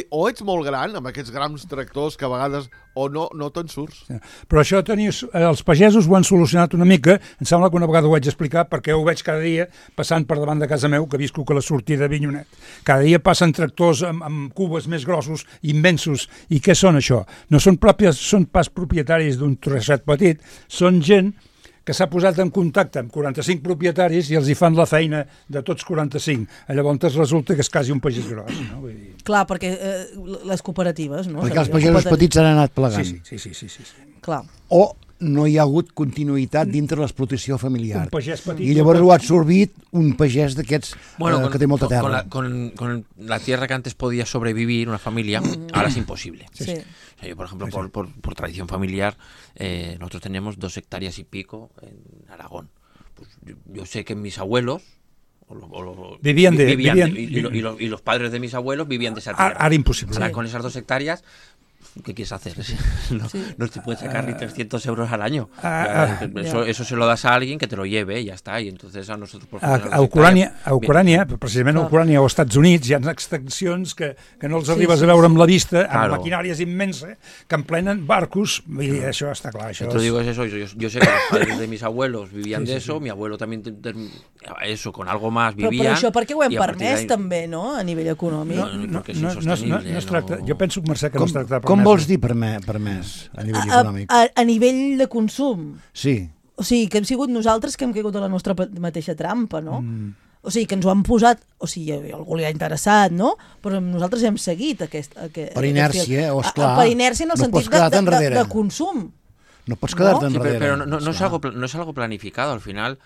o ets molt gran, amb aquests grans tractors que a vegades o no te'n surts. Però això els pagesos ho han solucionat una mica, em sembla que una vegada ho vaig explicar, perquè ho veig cada dia passant per davant de casa meu, que visco que la sortida de Vinyonet. Cada dia passen tractors amb cubes més grossos, immensos, i què són això? No són pas propietaris d'un trosset petit, són gent que s'ha posat en contacte amb 45 propietaris i els hi fan la feina de tots 45. Llavors resulta que és quasi un pagès gros. No? Vull dir... Clar, perquè les cooperatives... No? Perquè els pagesos petits han anat plegant. Sí. Clar. O no hi ha hagut continuïtat dintre l'explotació familiar. Un pagès petit. I llavors ho ha absorbit un pagès d'aquests que té molta terra. Con la tierra que antes podía sobrevivir una familia, ahora es imposible. Sí. O sea, yo, por ejemplo, por tradición familiar, nosotros teníamos 2 hectáreas y pico en Aragón. Pues yo sé que mis abuelos vivían y los padres de mis abuelos vivían de esa tierra. Ahora imposible. Ahora, con esas 2 hectáreas... ¿Qué quieres hacer? No te puedes sacar ni 300 euros al año. Eso se lo das a alguien que te lo lleve i ja està. I entonces a nosotros... A Ucrània, precisament a Ucrània o als Estats Units, hi ha extensions que no els arribes a veure amb la vista, amb maquinàries immenses, que emplenen barcos, i això està clar. Yo te digo es eso, yo sé que los padres de mis abuelos vivían de eso, mi abuelo también, eso, con algo más vivían... Però això perquè ho hem permès també, no?, a nivell econòmic. No, perquè és insostenible. Jo penso, Mercè, que no es tracta de Com vols dir permès a nivell econòmic? A nivell de consum. Sí. O sigui, que hem sigut nosaltres que hem caigut a la nostra mateixa trampa, no? O sigui, que ens ho han posat, o sigui, algú li ha interessat, no? Però nosaltres hem seguit aquest per inèrcia, o esclar. Per inèrcia en el sentit de consum. No pots quedar-te enrere. Pero no es algo planificado, al final...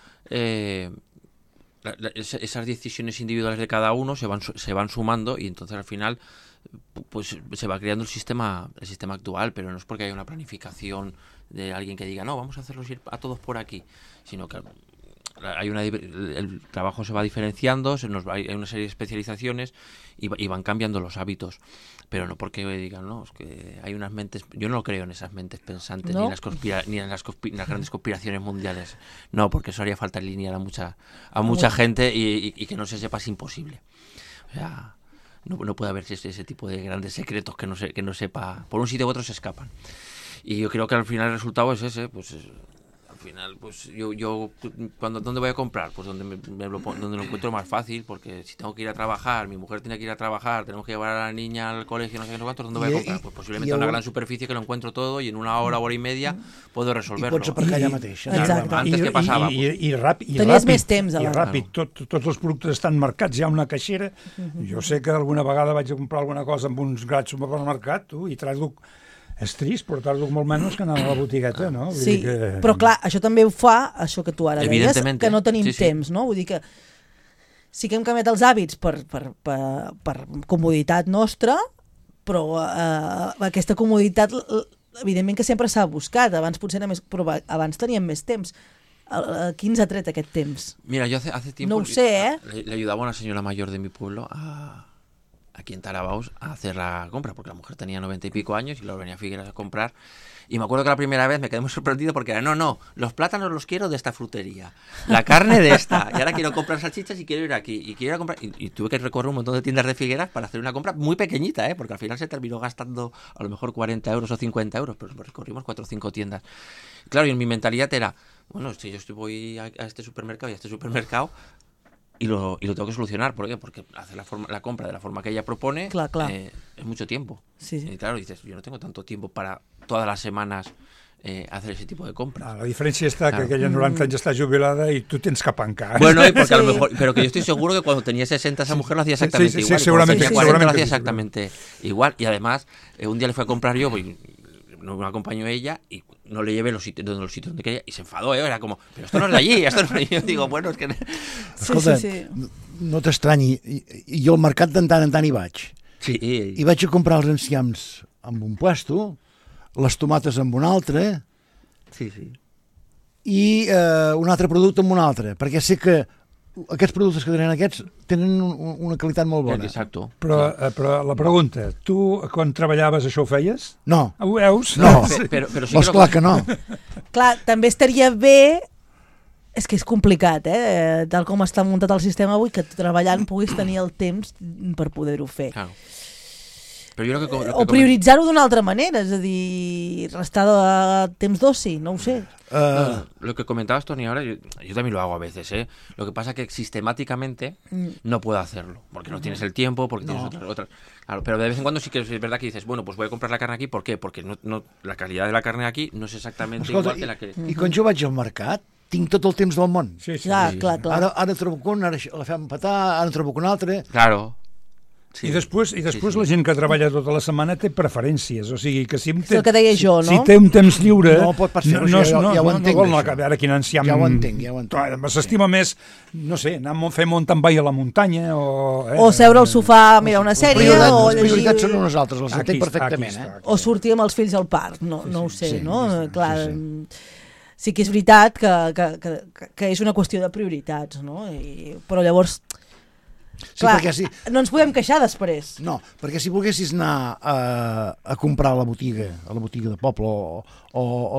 esas decisiones individuales de cada uno se van sumando y entonces al final pues se va creando el sistema actual, pero no es porque haya una planificación de alguien que diga no, vamos a hacerlos ir a todos por aquí, sino que el trabajo se va diferenciando, hay una serie de especializaciones y van cambiando los hábitos, pero no porque digan, no, es que hay unas mentes, yo no creo en esas mentes pensantes, ¿no? ni en las grandes conspiraciones mundiales, no, porque eso haría falta alinear a mucha gente y que no se sepa es imposible. O sea, no puede haber ese tipo de grandes secretos que no sepa, por un sitio u otro se escapan. Y yo creo que al final el resultado es ese, pues al final, pues yo ¿dónde voy a comprar? Pues donde lo encuentro más fácil, porque si tengo que ir a trabajar, mi mujer tiene que ir a trabajar, tenemos que llevar a la niña al colegio, no sé qué, cuánto, ¿dónde voy a comprar? Pues posiblemente una gran superficie que lo encuentro todo y en una hora y media puedo resolverlo. I pots aparcar allà mateix. Antes que passava. I ràpid. Tenies més temps. I ràpid. Tots els productes estan marcats, hi ha una caixera. Jo sé que alguna vegada vaig a comprar alguna cosa amb uns grans supermercat i traduc. És trist, però tardo molt menys que anar a la botigueta, no? Sí, però clar, això també ho fa, això que tu ara deies, que no tenim temps, no? Vull dir que sí que hem canviat els hàbits per comoditat nostra, però aquesta comoditat, evidentment que sempre s'ha buscat, abans potser era més, però abans teníem més temps. Qui ens ha tret aquest temps? Mira, yo hace tiempo... No ho sé, le ayudaba a una señora mayor de mi pueblo aquí en Tarabaus a hacer la compra, porque la mujer tenía 90 y pico años y lo venía a Figueras a comprar. Y me acuerdo que la primera vez me quedé muy sorprendido porque era, no, los plátanos los quiero de esta frutería, la carne de esta, y ahora quiero comprar salchichas y quiero ir aquí, y quiero ir a comprar, y tuve que recorrer un montón de tiendas de Figueras para hacer una compra muy pequeñita, porque al final se terminó gastando a lo mejor 40 euros o 50 euros, pero recorrimos 4 o 5 tiendas. Claro, y en mi mentalidad era, bueno, si yo voy a este supermercado y a este supermercado, y lo tengo que solucionar. ¿Por qué? Porque hacer la compra de la forma que ella propone es mucho tiempo. Sí. Y claro, dices, yo no tengo tanto tiempo para todas las semanas hacer ese tipo de compras. La diferència està que aquella 90 anys està jubilada y tú tienes que apancar. Bueno, y porque a lo mejor, pero que yo estoy seguro que cuando tenía 60 esa mujer lo hacía exactamente igual. Sí, seguramente. Cuando tenía 40 lo hacía exactamente igual. Y además, un día le fui a comprar yo, no me acompañó ella y no le llevé los sitios donde quería y se enfadó, era como, pero esto no es de allí, esto no es de allí. Yo digo, bueno, es que... Escolta, no t'estranyi, jo al mercat de tant en tant hi vaig. Sí. I vaig a comprar els enciams amb un puesto, les tomates amb un altre, i un altre producte amb un altre, perquè sé que aquests productes que tenen aquests tenen una qualitat molt bona. Exacto. Però la pregunta, tu quan treballaves això ho feies? No. Ho veus? No, però sí clar que no. Clar, també estaria bé És que és complicat, tal com està muntat el sistema avui, que treballant puguis tenir el temps per poder-ho fer. Claro. Però jo O prioritzar-ho d'una altra manera, és a dir, restar de temps d'oci, no ho sé. Lo que comentabas, Tony, ahora, yo también lo hago a veces, ¿eh? Lo que pasa es que sistemáticamente no puedo hacerlo, porque no tienes el tiempo, porque tienes otras. Claro, pero de vez en cuando sí que es verdad que dices, bueno, pues voy a comprar la carne aquí, ¿por qué? Porque no, la calidad de la carne aquí no es exactamente igual que la que... I quan jo vaig al mercat, tinc tot el temps del món. Sí. Clar. Ara trobo un, ara la fem petar, ara trobo un altre. Claro. Sí. I després la gent que treballa tota la setmana té preferències, o sigui que si és el que deia jo, no? Si té un temps lliure... No pot passar, ja ho entenc, no, a veure quin enciam... Ja ho entenc. S'estima més, no sé, anar a fer mountain bike a la muntanya o seure al sofà a mirar una sèrie o llegir... Les prioritats són unes altres, les entenc perfectament. O sortir amb els fills al parc, no ho sé, no? Clar, sí que és veritat que és una qüestió de prioritats, no? Però llavors... Sí, clar, no ens podem queixar després. No, perquè si volguessis anar a comprar a la botiga de poble o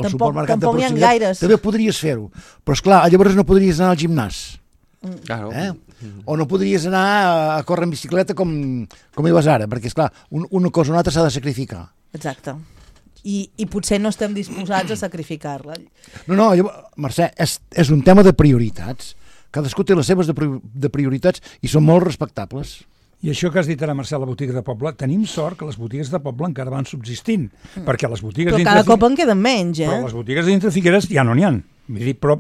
al supermercat de proximitat, també podries fer-ho. Però esclar, llavors no podries anar al gimnàs. Claro. O no podries anar a córrer en bicicleta com hi vas ara, perquè esclar, una cosa o una altra s'ha de sacrificar. Exacte. I potser no estem disposats a sacrificar-la. No, Mercè, és un tema de prioritats. Cadascú té les seves de prioritats i són molt respectables. I això que has dit ara, Marcel, la botiga de poble, tenim sort que les botigues de poble encara van subsistint, perquè les botigues... Però cada cop en queden menys, Però les botigues dintre Figueres ja no n'hi ha. Però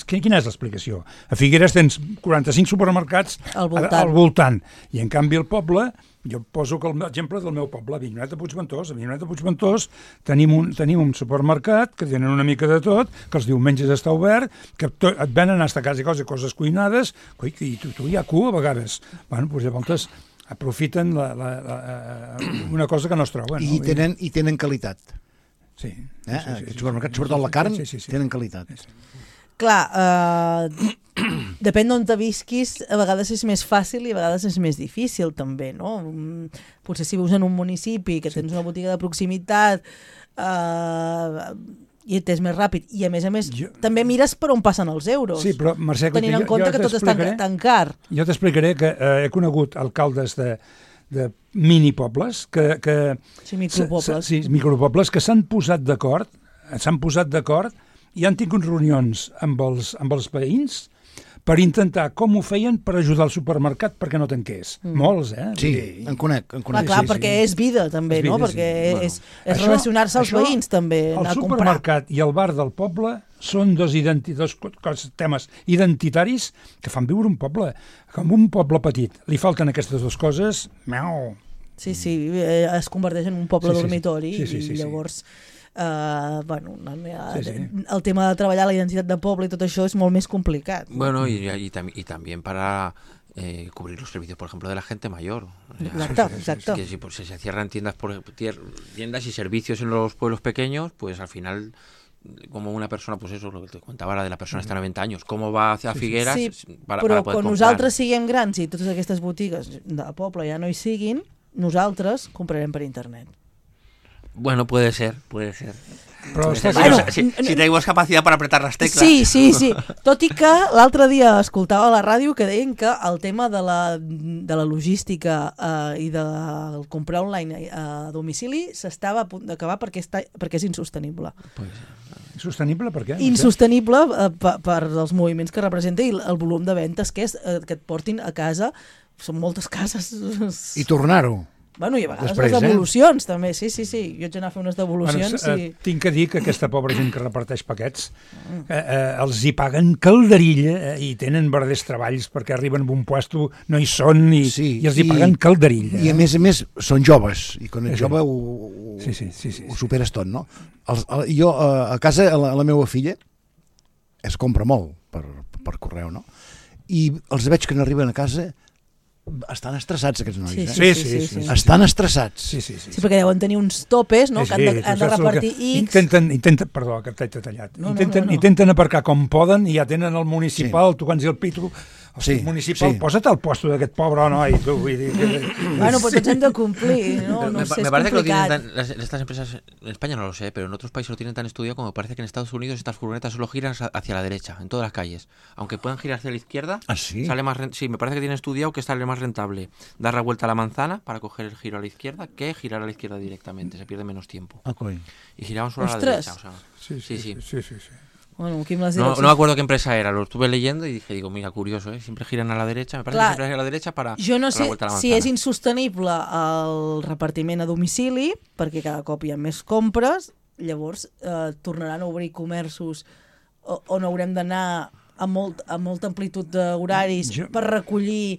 quina és l'explicació? A Figueres tens 45 supermercats al voltant, i en canvi al poble, jo poso l'exemple del meu poble, a Avinyonet de Puigventós. A Avinyonet de Puigventós tenim un supermercat que tenen una mica de tot, que els diumenges està obert, que et venen a casa i coses cuinades, i tu hi ha cua a vegades. Bueno, doncs llavors aprofiten una cosa que no es troba. I tenen qualitat. Sí. Els supermercats, sobretot la carn, tenen qualitat. Clar, depèn d'on te visquis, a vegades és més fàcil i a vegades és més difícil també, no? Potser si vius en un municipi que tens una botiga de proximitat i és més ràpid, i a més també mires per on passen els euros, però, Mercè, tenint en compte que tot està tan car. Jo t'explicaré que he conegut alcaldes de minipobles micropobles que s'han posat d'acord i han tingut reunions amb els veïns per intentar com ho feien per ajudar el supermercat perquè no tanqués. Molts, Sí, en conec. Clar, perquè és vida també, no? Perquè és relacionar-se als veïns també, anar a comprar. El supermercat i el bar del poble són dos temes identitaris que fan viure un poble. Com un poble petit li falten aquestes dues coses, Sí, es converteix en un poble dormitori i llavors... el tema de treballar la identitat de poble i tot això es molt més complicat. Bueno, y también para cubrir los servicios, por ejemplo, de la gente mayor. Exacto. Que si se cierran tiendas y servicios en los pueblos pequeños, pues al final, como una persona, pues eso, lo que te contaba era de la persona hasta 90 años, com va hacia Figueres para poder comprar. Però quan nosaltres siguem grans i totes aquestes botigues de poble ja no hi siguin, nosaltres comprarem per internet. Bueno, puede ser. Però si tenemos capacidad para apretar las teclas. Sí. Tot i que l'altre dia escoltava a la ràdio que deien que el tema de la logística i de comprar online a domicili s'estava a punt d'acabar perquè és insostenible. Insostenible per què? Insostenible per els moviments que representa i el volum de ventes que et portin a casa. Són moltes cases. I tornar-ho. Bueno, i a vegades les devolucions també, sí. Jo haig d'anar a fer unes devolucions. Tinc que dir que aquesta pobra gent que reparteix paquets els hi paguen calderilla i tenen verders treballs perquè arriben a un puesto, no hi són i els hi paguen calderilla. I a més són joves i quan ets jove ho superes tot, no? Jo a casa, la meva filla es compra molt per correu, no? I els veig que no arriben a casa. Estan estressats aquests nois, Sí. Estan estressats. Sí, perquè deuen tenir uns topes, no? Que han de repartir X. Perdó, que t'he tallat. Intenten aparcar com poden i ja tenen el municipal tocant-hi el pito municipal, posa't al puesto d'aquest pobre noi, tu, vull dir... Bueno, pues tots hem de complir, ¿no? No sé, me es parece que lo complicat. tienen estas empresas, en España no lo sé, pero en otros países lo tienen tan estudiado como parece que en Estados Unidos estas furgonetas solo giran hacia la derecha, en todas las calles. Aunque puedan girar hacia la izquierda, sale más sí, me parece que tienen estudiado que sale más rentable dar la vuelta a la manzana para coger el giro a la izquierda que girar a la izquierda directamente, se pierde menos tiempo. Y giraban solo a la derecha, o sea, sí. Bueno, Quim, les no me acuerdo qué empresa era, lo estuve leyendo y digo, mira, curioso, siempre giran a la derecha, me parece que siempre giran a la derecha para jo no sé la vuelta a la manzana. si és insostenible el repartiment a domicili, perquè cada cop hi ha més compres, llavors tornaran a obrir comerços on haurem d'anar amb molta amplitud d'horaris per recollir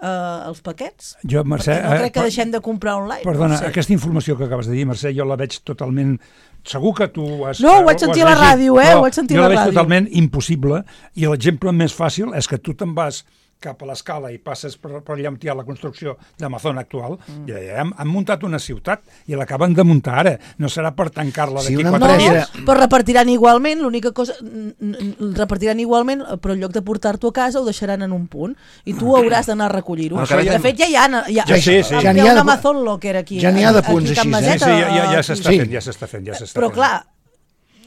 els paquets? Jo, Mercè... Perquè no crec que deixem de comprar online. Perdona, aquesta informació que acabes de dir, Mercè, jo la veig totalment... Segur que tu ho has... No, ho vaig sentir a la ràdio, ho vaig sentir a la ràdio. Jo la veig totalment impossible i l'exemple més fàcil és que tu te'n vas cap a l'escala i passes per allà on hi ha la construcció d'Amazon actual, i allà han muntat una ciutat i l'acaben de muntar ara. No serà per tancar-la d'aquí 4 dies. No, però repartiran igualment, l'única cosa... Repartiran igualment, però en lloc de portar-t'ho a casa ho deixaran en un punt i tu hauràs d'anar a recollir-ho. De fet, ja hi ha... Hi ha un Amazon Locker aquí. Ja n'hi ha de punts així. Ja s'està fent. Però clar,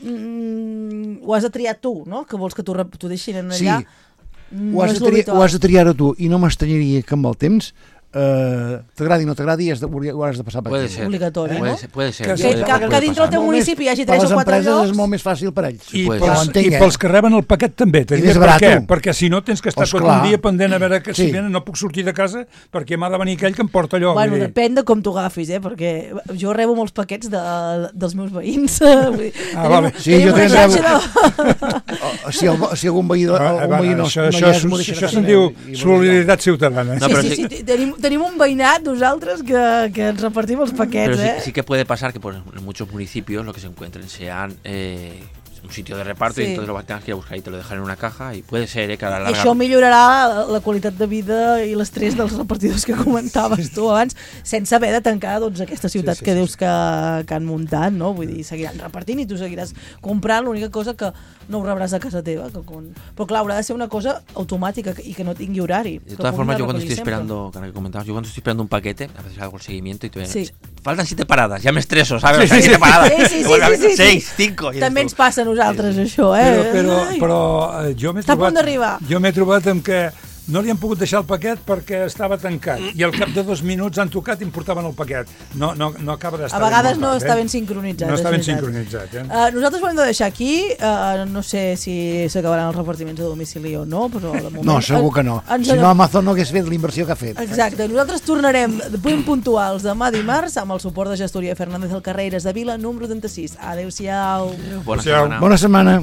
ho has de triar tu, no? Que vols que t'ho deixin allà. Ho has de triar tu i no m'estranyaria que amb el temps t'agradi o no t'agradi ho has de passar per aquí. Obligatori, no? Puede ser. Que dintre del teu municipi hi hagi 3 o 4 llocs. Per les empreses és molt més fàcil per ells. I pels que reben el paquet també. I més barat. Perquè si no tens que estar tot un dia pendent a veure que si venen no puc sortir de casa perquè m'ha de venir aquell que em porta allò. Bueno, depèn de com t'ho agafis, perquè jo rebo molts paquets dels meus veïns. Sí, jo també rebo. Si algun veí no això se'n diu solidaritat ciutadana. Sí, tenim un veïnat nosaltres que ens repartim els paquets. Pero sí que puede pasar que en muchos municipios lo que se encuentren sean un sitio de reparto y entonces lo tengas que ir a buscar y te lo dejan en una caja y puede ser que a la larga... Això millorarà la qualitat de vida i l'estrès dels repartidors que comentaves tu abans, sense haver de tancar aquesta ciutat que dius que han muntat, no? Vull dir, seguiran repartint i tu seguiràs comprant, l'única cosa que no ho rebràs a casa teva. Però clar, haurà de ser una cosa automàtica i que no tingui horari. De todas formas, yo cuando estoy esperando, que comentabas, yo cuando estoy esperando un paquete, a veces hago el seguimiento y te faltan 7 paradas, ya me estreso, ¿sabes? 7 paradas. Sí. 6, 5. També ens passa a nosaltres, això, Però jo m'he trobat amb que no li han pogut deixar el paquet perquè estava tancat i al cap de 2 minuts han tocat i em portaven el paquet. No acaba d'estar ben. A vegades no està ben sincronitzat. No està ben sincronitzat. Nosaltres ho hem de deixar aquí. No sé si s'acabaran els repartiments a domicili o no, però de moment... No, segur que no. Si no, Amazon no hagués fet l'inversió que ha fet. Exacte. Nosaltres tornarem ben puntuals demà dimarts amb el suport de Gestoria Fernández del Carreras de Vila, número 36. Adéu-siau. Bona setmana.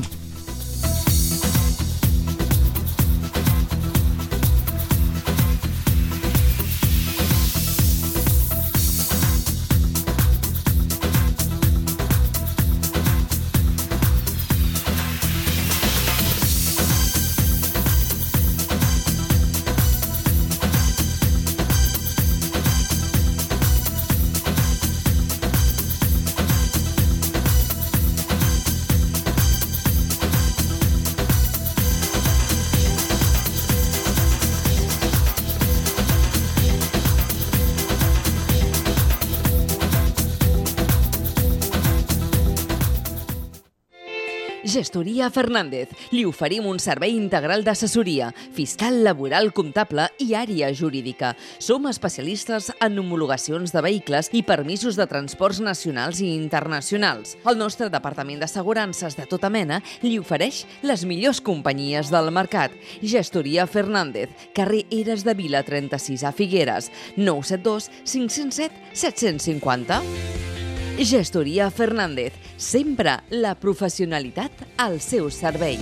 Gestoria Fernández. Li oferim un servei integral d'assessoria, fiscal, laboral, comptable i àrea jurídica. Som especialistes en homologacions de vehicles i permisos de transports nacionals i internacionals. El nostre departament d'assegurances de tota mena li ofereix les millors companyies del mercat. Gestoria Fernández, carrer Eres de Vila 36 a Figueres, 972 507 750. Gestoria Fernández, sempre la professionalitat al seu servei.